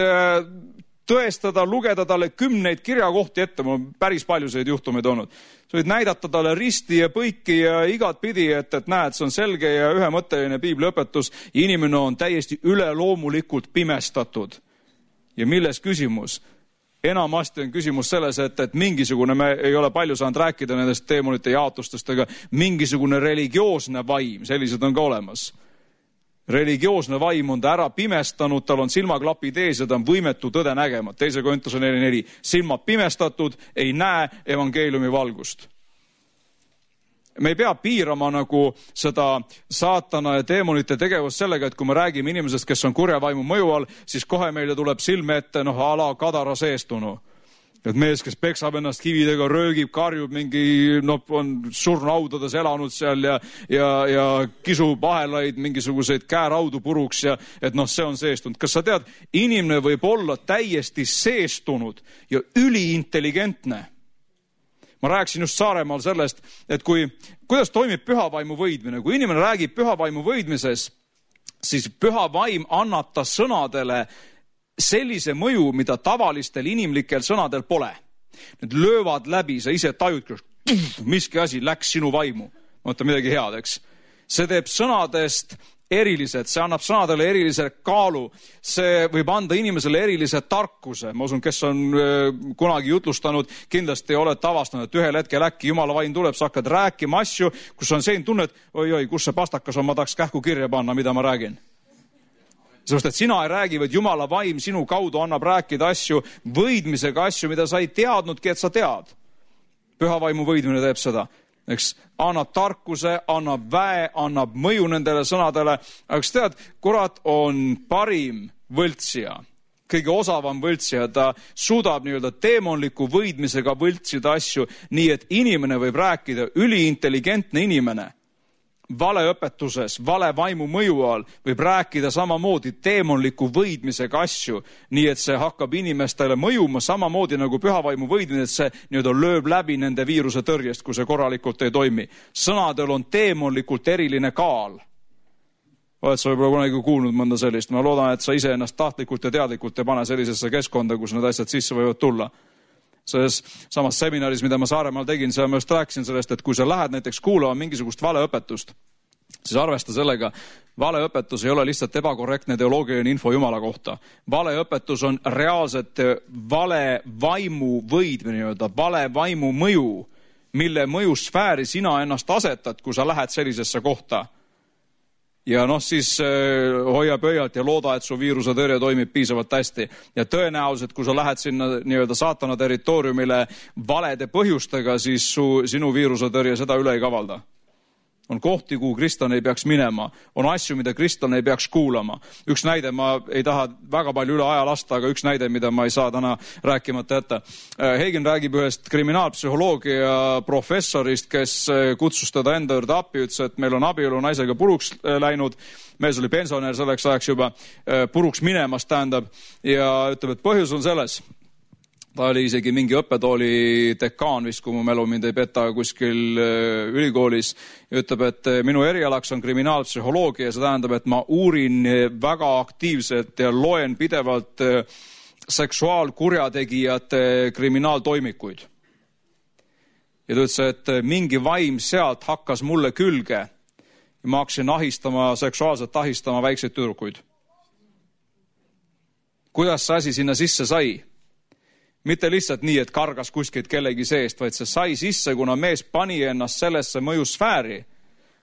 tõestada, lugeda talle kümneid kirjakohti ette, mul on päris palju selliseid juhtumeid olnud. Sa võid näidata talle risti ja põiki ja igat pidi, et, et näed, see on selge ja ühemõtteline piibliõpetus. Inimene on täiesti üleloomulikult pimestatud. Ja milles küsimus? Enamasti on küsimus selles, et, et mingisugune, me ei ole palju saanud rääkida nendest teemonite jaotustest, aga mingisugune religioosne vaim, sellised on ka olemas. Religioosne vaim on ta ära pimestanud, tal on silmaklapid ees ja ta on võimetu tõde nägema. Teise Korintuse neli neli. Silmad pimestatud, ei näe evangeeliumi valgust. Me ei pea piirama nagu seda saatana ja teemonite tegevust sellega, et kui me räägime inimesest, kes on kurja vaimu mõju all, siis kohe meile tuleb silme ette, noh, ala kadara seestunu. Et mees, kes peksab ennast kividega, röögib, karjub, mingi, noh, on surnaudades elanud seal ja, ja, ja kisub ahelaid, mingisuguseid kääraudu puruks ja et noh, see on seestunud. Kas sa tead, inimene võib olla täiesti seestunud ja üliintelligentne? Ma rääkisin just Saaremaal sellest, et kui, kuidas toimib pühavaimu võidmine. Kui inimene räägib pühavaimu võidmises, siis pühavaim annab ta sõnadele sellise mõju, mida tavalistel inimlikel sõnadel pole. Need löövad läbi, sa ise tajud, miski asi läks sinu vaimu. Mõtta midagi head, eks? See teeb sõnadest erilised, see annab sõnadele erilise kaalu. See võib anda inimesele erilise tarkuse. Ma usun, kes on kunagi jutlustanud, kindlasti oled avastanud, et ühel hetkel äkki Jumala vaim tuleb, sa hakkad rääkima asju, kus on selline tunne, et oi-oi, kus see pastakas on, ma tahaks kähku kirja panna, mida ma räägin. Sest et sina ei räägi, vaid Jumala vaim sinu kaudu annab rääkida asju, võidmisega asju, mida sa ei teadnudki, et sa tead. Pühavaimu võidmine teeb seda. Eks, annab tarkuse, annab väe, annab mõju nendele sõnadele. Aga tead, kurat on parim võltsija. Kõige osavam võltsija. Ta suudab nii-öelda teemonliku võidmisega võltsida asju, nii et inimene võib rääkida, üliintelligentne inimene. Valeõpetuses, vale vaimu mõju all võib rääkida samamoodi teemonliku võidmisega asju, nii et see hakkab inimestele mõjuma samamoodi nagu pühavaimu võidmine, et see nii-öelda lööb läbi nende viiruse tõrjest, kui see korralikult ei toimi. Sõnadel on teemonlikult eriline kaal. Oled sa võib-olla kunagi kuulnud mõnda sellist? Ma loodan, et sa ise ennast tahtlikult ja teadlikult ei pane sellisesse keskkonda, kus need asjad sisse võivad tulla. Selles samas seminaris, mida ma Saaremaal tegin, seal ma just rääkisin sellest, et kui sa lähed näiteks kuulama mingisugust valeõpetust, siis arvesta sellega, valeõpetus ei ole lihtsalt ebakorrektne teoloogiline info Jumala kohta. Valeõpetus on reaalselt vale vaimu võidmine, vale vaimu mõju, mille mõjusfääri sina ennast asetad, kui sa lähed sellisesse kohta. Ja noh, siis äh, hoia pöialt ja looda, et su viiruse tõrje toimib piisavalt hästi. Ja tõenäoliselt, kui sa lähed sinna nii-öelda saatana territooriumile valede põhjustega, siis su, sinu viiruse tõrje seda üle ei kavalda. On kohti, kuhu kristlane ei peaks minema. On asju, mida kristlane ei peaks kuulama. Üks näide, ma ei taha väga palju üle aja lasta, aga üks näide, mida ma ei saa täna rääkimata jätta. Heigen räägib ühest kriminaalpsühholoogia professorist, kes kutsus teda enda juurde appi, ütles, et meil on abielu naisega puruks läinud. Mees oli pensionär selleks ajaks juba puruks minemas, tähendab, ja ütleb, et põhjus on selles. Ta oli isegi mingi õppetooli dekaan vist, kui mu mälu mind ei peta kuskil ülikoolis. Ja ütleb, et minu erialaks on kriminaalpsühholoogia ja see tähendab, et ma uurin väga aktiivselt ja loen pidevalt seksuaalkurjategijate kriminaaltoimikuid. Ja ta ütles, et mingi vaim sealt hakkas mulle külge ja ma hakkasin ahistama, seksuaalselt ahistama väikseid tüdrukuid. Kuidas see asi sinna sisse sai? Mitte lihtsalt nii, et kargas kuskilt kellegi seest, vaid see sai sisse, kuna mees pani ennast sellesse mõjusfääri,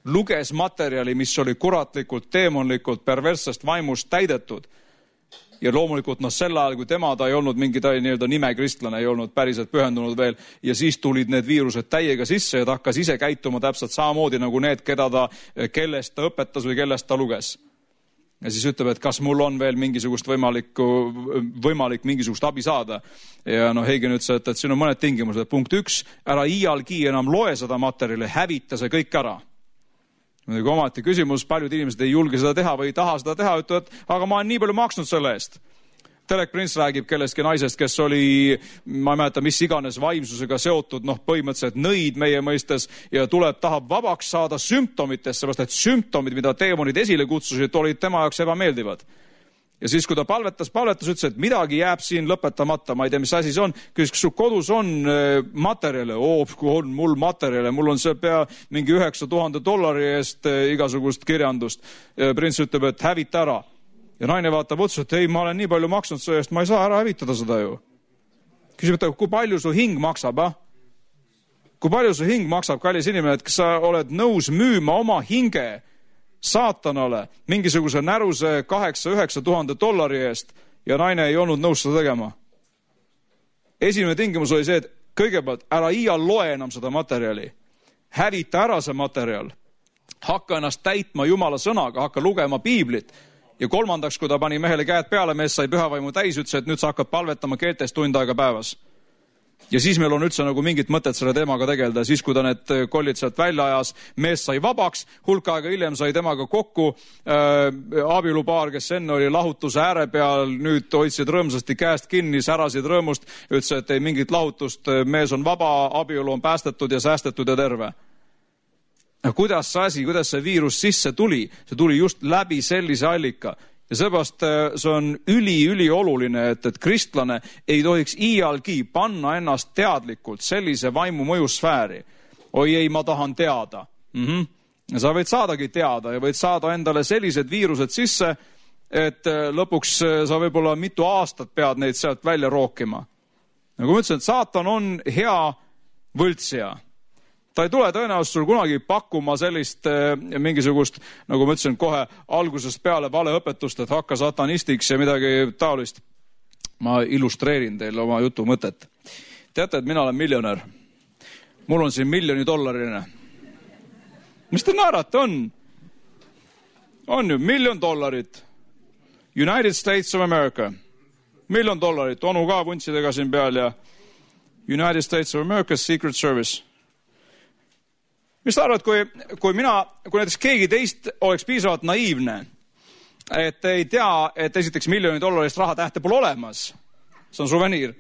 luges materjali, mis oli kuratlikult, teemonlikult, perverssest vaimust täidetud ja loomulikult noh, sel ajal, kui tema, ta ei olnud mingi ta nii-öelda nimekristlane, ei olnud päriselt pühendunud veel ja siis tulid need viirused täiega sisse ja ta hakkas ise käituma täpselt samamoodi nagu need, keda ta, kellest ta õpetas või kellest ta luges. Ja siis ütleb, et kas mul on veel mingisugust võimalikku, võimalik mingisugust abi saada. Ja noh, Heigen ütles, et, et siin on mõned tingimused. Punkt üks, ära iialgi enam loe seda materjali, hävita see kõik ära. Kui omati küsimus, paljud inimesed ei julge seda teha või ei taha seda teha, ütlevad, aga ma olen nii palju maksnud selle eest. Telek Prince räägib kellestki naisest, kes oli, ma ei mäleta, mis iganes vaimsusega seotud, noh, põhimõtteliselt nõid meie mõistes ja tuleb, tahab vabaks saada sümptomitest, seepärast, et sümptomid, mida teemonid esile kutsusid, olid tema jaoks ebameeldivad. Ja siis, kui ta palvetas, palvetas, ütles, et midagi jääb siin lõpetamata, ma ei tea, mis asi see on, küsis, kas su kodus on materjale, oo, kui on mul materjale, mul on see pea mingi üheksa tuhande dollari eest igasugust kirjandust. Prints ütleb, et hävita ära. Ja naine vaatab otsa, et ei, ma olen nii palju maksnud selle eest, ma ei saa ära hävitada seda ju. Küsib, et kui palju su hing maksab, ah? Kui palju su hing maksab, kallis inimene, et kas sa oled nõus müüma oma hinge saatanale mingisuguse näruse kaheksa üheksa tuhande dollari eest ja naine ei olnud nõus seda tegema. Esimene tingimus oli see, et kõigepealt ära iial loe enam seda materjali. Hävita ära see materjal. Hakka ennast täitma Jumala sõnaga, hakka lugema piiblit. Ja kolmandaks, kui ta pani mehele käed peale, mees sai pühavaimu täis, ütles, et nüüd sa hakkad palvetama keeltes tund aega päevas. Ja siis meil on üldse nagu mingit mõtet selle teemaga tegeleda. Siis, kui ta need kollid sealt välja ajas, mees sai vabaks, hulk aega hiljem sai temaga kokku äh, abielupaar, kes enne oli lahutuse ääre peal, nüüd hoidsid rõõmsasti käest kinni, särasid rõõmust, ütles, et ei mingit lahutust, mees on vaba, abielu on päästetud ja säästetud ja terve. Kuidas see asi, kuidas see viirus sisse tuli? See tuli just läbi sellise allika. Ja seepärast see on üli-üli oluline, et, et kristlane ei tohiks iialgi panna ennast teadlikult sellise vaimu mõjusfääri. Oi ei, ma tahan teada. Mm-hmm. Ja sa võid saadagi teada ja võid saada endale sellised viirused sisse, et lõpuks sa võib-olla mitu aastat pead neid sealt välja rookima. Nagu ma ütlesin, et saatan on hea võltsija. Ta ei tule tõenäoliselt sul kunagi pakkuma sellist eh, mingisugust, nagu ma ütlesin, kohe algusest peale valeõpetust, et hakka satanistiks ja midagi taolist. Ma illustreerin teile oma jutu mõtet. Teate, et mina olen miljonär. Mul on siin miljoni dollariline. Mis te naerate on? On ju, miljon dollarit. United States of America. Miljon dollarit. Onu ka vuntsidega siin peal ja United States of America Secret Service. Mis ta arvad, kui, kui mina, kui näiteks keegi teist oleks piisavalt naiivne, et ei tea, et esiteks miljoni dollarist raha tähte pole olemas. See on suveniir.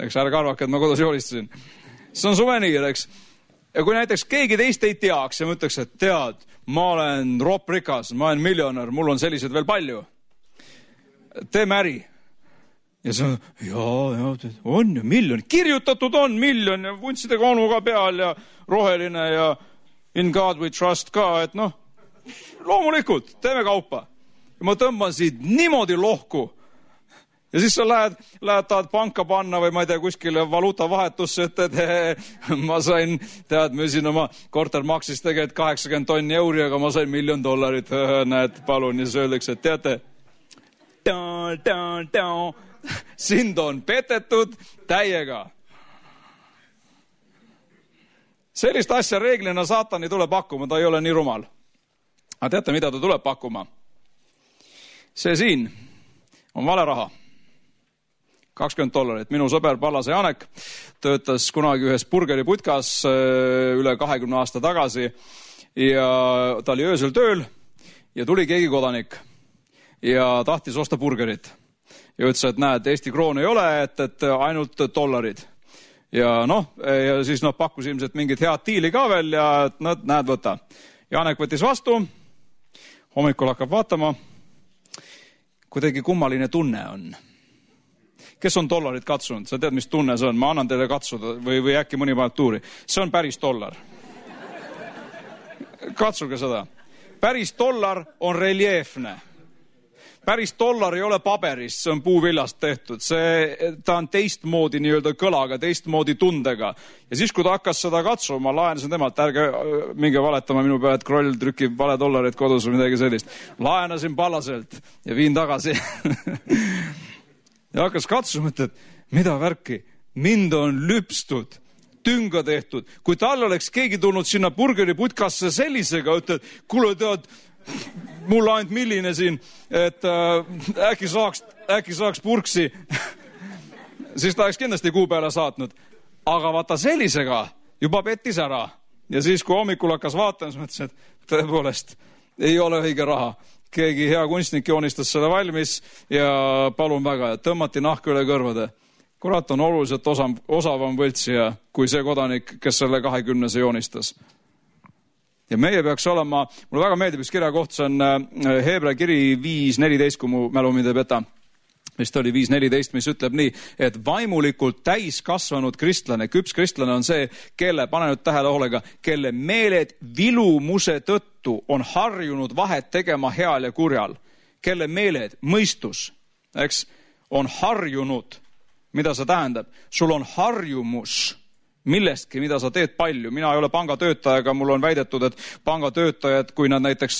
Eks ärge arvake, et ma kodus joolistasin. See on suveniir, eks. Ja kui näiteks keegi teist ei teaks ja mõtleks, et tead, ma olen roprikas, ma olen miljonär, mul on sellised veel palju. Teeme äri. Ja see on, jaa, jaa, on ju miljon. Kirjutatud on miljon ja vuntsidega onuga peal ja roheline ja in God we trust ka, et noh, loomulikult, teeme kaupa. Ja ma tõmban siit niimoodi lohku. Ja siis sa lähed, lähed tahad panka panna või ma ei tea, kuskile valuutavahetusse, et, et ma sain, tead, müüsin oma korter maksis tegelikult kaheksakümmend tonni euri, aga ma sain miljon dollarit. Näed, palun, ja siis öeldakse, et teate, down, down, down. Sind on petetud täiega. Sellist asja reeglina saatan ei tule pakkuma, ta ei ole nii rumal. Aga teate, mida ta tuleb pakkuma? See siin on vale raha. kakskümmend dollarit. Minu sõber Pallase Janek töötas kunagi ühes burgeriputkas üle kahekümne aasta tagasi ja ta oli öösel tööl ja tuli keegi kodanik ja tahtis osta burgerit. Ja ütles, et näed, Eesti kroon ei ole, et, et ainult dollarid. Ja noh, ja siis noh, pakkus ilmselt mingit head diili ka veel ja et, no, näed, võta. Janek võttis vastu, hommikul hakkab vaatama, kuidagi kummaline tunne on. Kes on dollarit katsunud? Sa tead, mis tunne see on? Ma annan teile katsuda või, või äkki mõni paneb tuuri. See on päris dollar. Katsuge seda. Päris dollar on reljeefne. päris dollar ei ole paberist, see on puuvillast tehtud. See, ta on teistmoodi nii-öelda kõlaga, teistmoodi tundega. Ja siis, kui ta hakkas seda katsuma, laenasin temalt, ärge minge valetama minu peale, et Kroll trükib vale dollarit kodus või midagi sellist. Laenasin Pallaselt ja viin tagasi. Ja hakkas katsuma, et mida värki, mind on lüpstud, tünga tehtud. Kui tal oleks keegi tulnud sinna burgeriputkasse sellisega, ütled, kuule tead, mul ainult milline siin, et äh, äkki, saaks, äkki saaks purksi, siis ta oleks kindlasti kuu peale saatnud. Aga vaata sellisega juba pettis ära. Ja siis, kui hommikul hakkas vaatama, siis mõtlesin, et tõepoolest ei ole õige raha. Keegi hea kunstnik joonistas selle valmis ja palun väga, et tõmmati nahka üle kõrvade. Kurat on oluliselt osam, osavam võltsija kui see kodanik, kes selle kahekümnese joonistas. Ja meie peaks olema, mulle väga meeldib üks kirja koht, see on Hebra kiri viis neliteist, kui mu mälu mind ei peta. Vist oli viis neliteist, mis ütleb nii, et vaimulikult täiskasvanud kristlane, küps kristlane on see, kelle, pane nüüd tähele hoolega, kelle meeled vilumuse tõttu on harjunud vahet tegema heal ja kurjal. Kelle meeled, mõistus, eks, on harjunud. Mida see tähendab? Sul on harjumus millestki, mida sa teed palju. Mina ei ole pangatöötajaga, mul on väidetud, et pangatöötajad, kui nad näiteks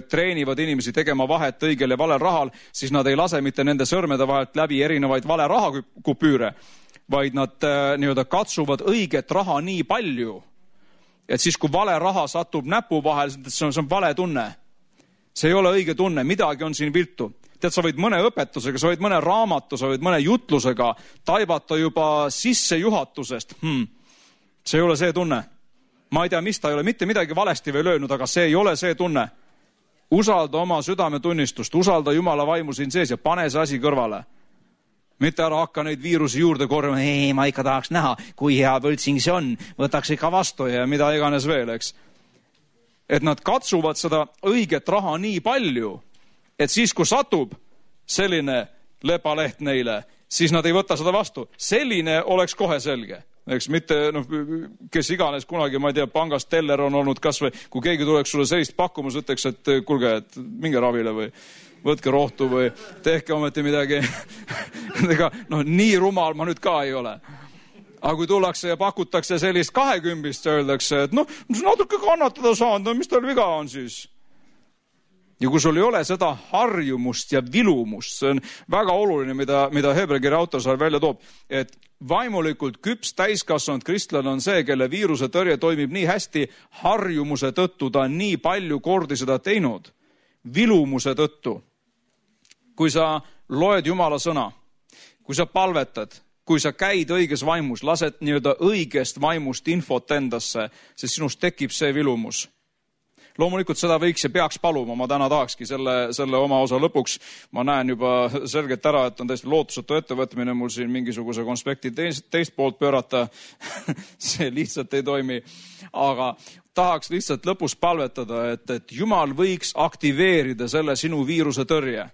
treenivad inimesi tegema vahet õigel ja valel rahal, siis nad ei lase mitte nende sõrmede vahelt läbi erinevaid vale rahakupüüre, vaid nad nii-öelda katsuvad õiget raha nii palju, et siis, kui vale raha satub näpu vahel, see on, see on vale tunne. See ei ole õige tunne, midagi on siin viltu. Tead, sa võid mõne õpetusega, sa võid mõne raamatu, sa võid mõne jutlusega taibata juba sissejuhatusest. Hmm. See ei ole see tunne. Ma ei tea, mis ta ei ole, mitte midagi valesti veel öelnud, aga see ei ole see tunne. Usalda oma südametunnistust, usalda Jumala vaimu siin sees ja pane see asi kõrvale. Mitte ära hakka neid viirusi juurde korjama, ei, ma ikka tahaks näha, kui hea võltsing see on, võtaks ikka vastu ja mida iganes veel, eks. Et nad katsuvad seda õiget raha nii palju, et siis, kui satub selline lepaleht neile, siis nad ei võta seda vastu. Selline oleks kohe selge. Eks mitte, noh, kes iganes kunagi, ma ei tea, pangast teller on olnud kas või, kui keegi tuleks sulle sellist pakkumus, ütleks, et kulge, et minge ravile või võtke rohtu või tehke ometi midagi. Ega, noh, nii rumal ma nüüd ka ei ole. Aga kui tullakse ja pakutakse sellist kahekümbist, öeldakse, et noh, natuke kannatada saanud, mis tal viga on siis? Ja kui sul ei ole seda harjumust ja vilumust, see on väga oluline, mida, mida Hebra kirja autor seal välja toob, et vaimulikult küps täiskasvanud kristlane on see, kelle viiruse tõrje toimib nii hästi, harjumuse tõttu ta on nii palju kordi seda teinud, vilumuse tõttu. Kui sa loed Jumala sõna, kui sa palvetad, kui sa käid õiges vaimus, lased nii-öelda õigest vaimust infot endasse, siis sinust tekib see vilumus. Loomulikult seda võiks ja peaks paluma, ma täna tahakski selle, selle oma osa lõpuks. Ma näen juba selgelt ära, et on täiesti lootusetu ettevõtmine mul siin mingisuguse konspekti teist, teist poolt pöörata. See lihtsalt ei toimi. Aga tahaks lihtsalt lõpus palvetada, et, et Jumal võiks aktiveerida selle sinu viiruse tõrje.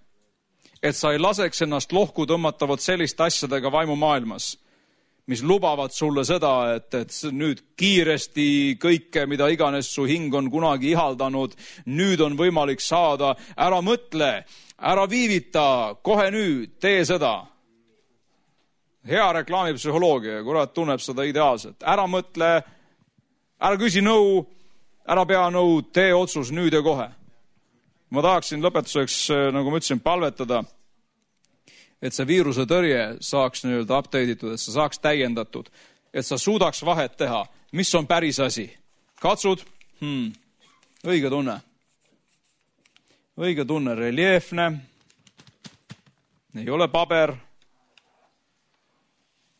Et sa ei laseks ennast lohku tõmmatavad selliste asjadega vaimumaailmas, mis lubavad sulle seda, et, et nüüd kiiresti kõike, mida iganes su hing on kunagi ihaldanud, nüüd on võimalik saada. Ära mõtle, ära viivita, kohe nüüd, tee seda. Hea reklaamipsühholoogia, kurat tunneb seda ideaalselt. Ära mõtle, ära küsi nõu, ära pea nõu, tee otsus nüüd ja kohe. Ma tahaksin lõpetuseks, nagu ma ütlesin, palvetada, et see viiruse tõrje saaks nii-öelda update'itud, et sa saaks täiendatud, et sa suudaks vahet teha, mis on päris asi. Katsud, hmm, õige tunne. Õige tunne, reljeefne, ei ole paber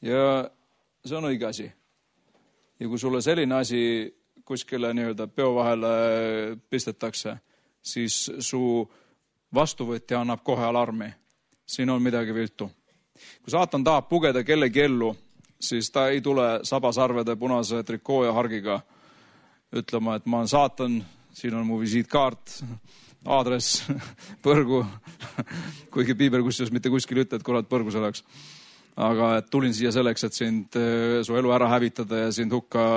ja see on õige asi. Ja kui sulle selline asi kuskile nii-öelda peo vahele pistetakse, siis su vastuvõtja annab kohe alarmi. Siin on midagi viltu. Kui saatan tahab pugeda kellegi ellu, siis ta ei tule sabasarvede punase trikoo ja hargiga ütlema, et ma olen saatan, siin on mu visiitkaart, aadress, põrgu, kuigi piibel kusjuures mitte kuskil ütle, et kurat põrgu selleks. Aga et tulin siia selleks, et sind, su elu ära hävitada ja sind hukka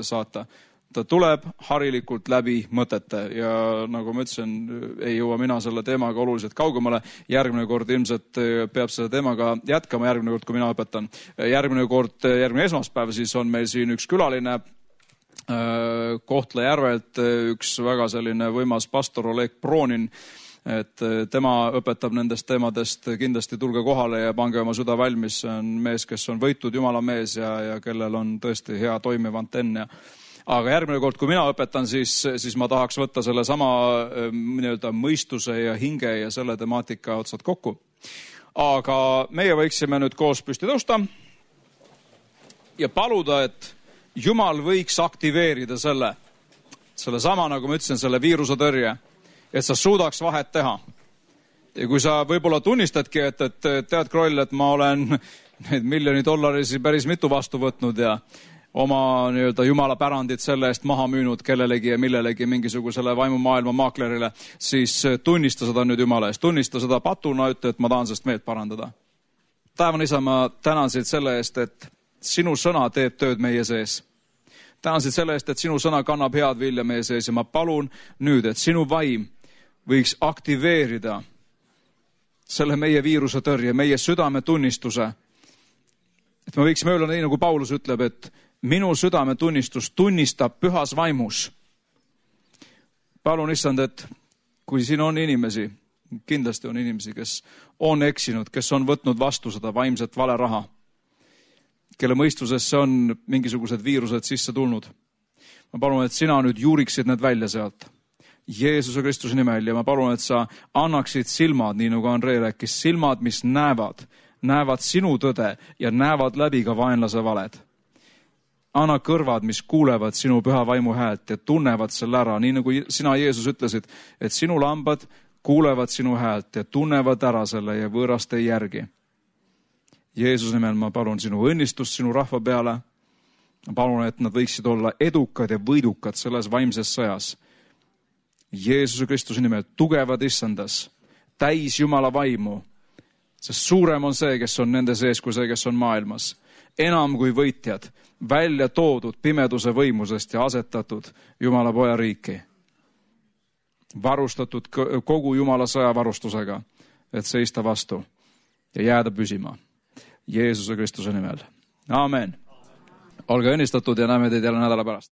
saata. ta tuleb harilikult läbi mõtete ja nagu ma ütlesin, ei jõua mina selle teemaga oluliselt kaugemale. Järgmine kord ilmselt peab selle teemaga jätkama, järgmine kord, kui mina õpetan. Järgmine kord, järgmine esmaspäev, siis on meil siin üks külaline Kohtla-Järvelt, üks väga selline võimas pastor Oleg Pronin, et tema õpetab nendest teemadest, kindlasti tulge kohale ja pange oma süda valmis. See on mees, kes on võitud Jumala mees ja, ja kellel on tõesti hea toimiv antenn. Aga järgmine kord, kui mina õpetan, siis, siis ma tahaks võtta selle sama nii-öelda mõistuse ja hinge ja selle temaatika otsad kokku. Aga meie võiksime nüüd koos püsti tõusta ja paluda, et Jumal võiks aktiveerida selle, selle sama, nagu ma ütlesin, selle viiruse tõrje, et sa suudaks vahet teha. Ja kui sa võib-olla tunnistadki, et, et tead, Kroll, et ma olen neid miljoni dollarisi päris mitu vastu võtnud ja oma nii-öelda Jumala pärandit selle eest maha müünud kellelegi ja millelegi mingisugusele vaimumaailma maaklerile, siis tunnista seda nüüd Jumala eest. Tunnista seda patuna, ütle, et ma tahan sellest meelt parandada. Taevan isa, ma tänan sind selle eest, et sinu sõna teeb tööd meie sees. Tänan sind selle eest, et sinu sõna kannab head vilja meie sees ja ma palun nüüd, et sinu vaim võiks aktiveerida selle meie viiruse tõrje, meie südametunnistuse. Et me võiksime öelda nii, nagu Paulus ütleb, et minu südametunnistus tunnistab pühas vaimus. Palun issand, et kui siin on inimesi, kindlasti on inimesi, kes on eksinud, kes on võtnud vastu seda vaimset vale raha, kelle mõistusesse on mingisugused viirused sisse tulnud. Ma palun, et sina nüüd juuriksid need välja sealt Jeesuse Kristuse nimel ja ma palun, et sa annaksid silmad, nii nagu Andrei rääkis, silmad, mis näevad, näevad sinu tõde ja näevad läbi ka vaenlase valed. Anna kõrvad, mis kuulevad sinu püha vaimu häält ja tunnevad selle ära, nii nagu sina, Jeesus, ütlesid, et sinu lambad kuulevad sinu häält ja tunnevad ära selle ja võõrast ei järgi. Jeesuse nimel ma palun sinu õnnistust sinu rahva peale. Ma palun, et nad võiksid olla edukad ja võidukad selles vaimses sõjas. Jeesuse Kristuse nimel tugevad issandas, täis Jumala vaimu, sest suurem on see, kes on nende sees, kui see, kes on maailmas. Enam kui võitjad, välja toodud pimeduse võimusest ja asetatud Jumala poja riiki. Varustatud kogu Jumala sõjavarustusega, et seista vastu ja jääda püsima. Jeesuse Kristuse nimel. Aamen. Olge õnnistatud ja näeme teid jälle nädala pärast.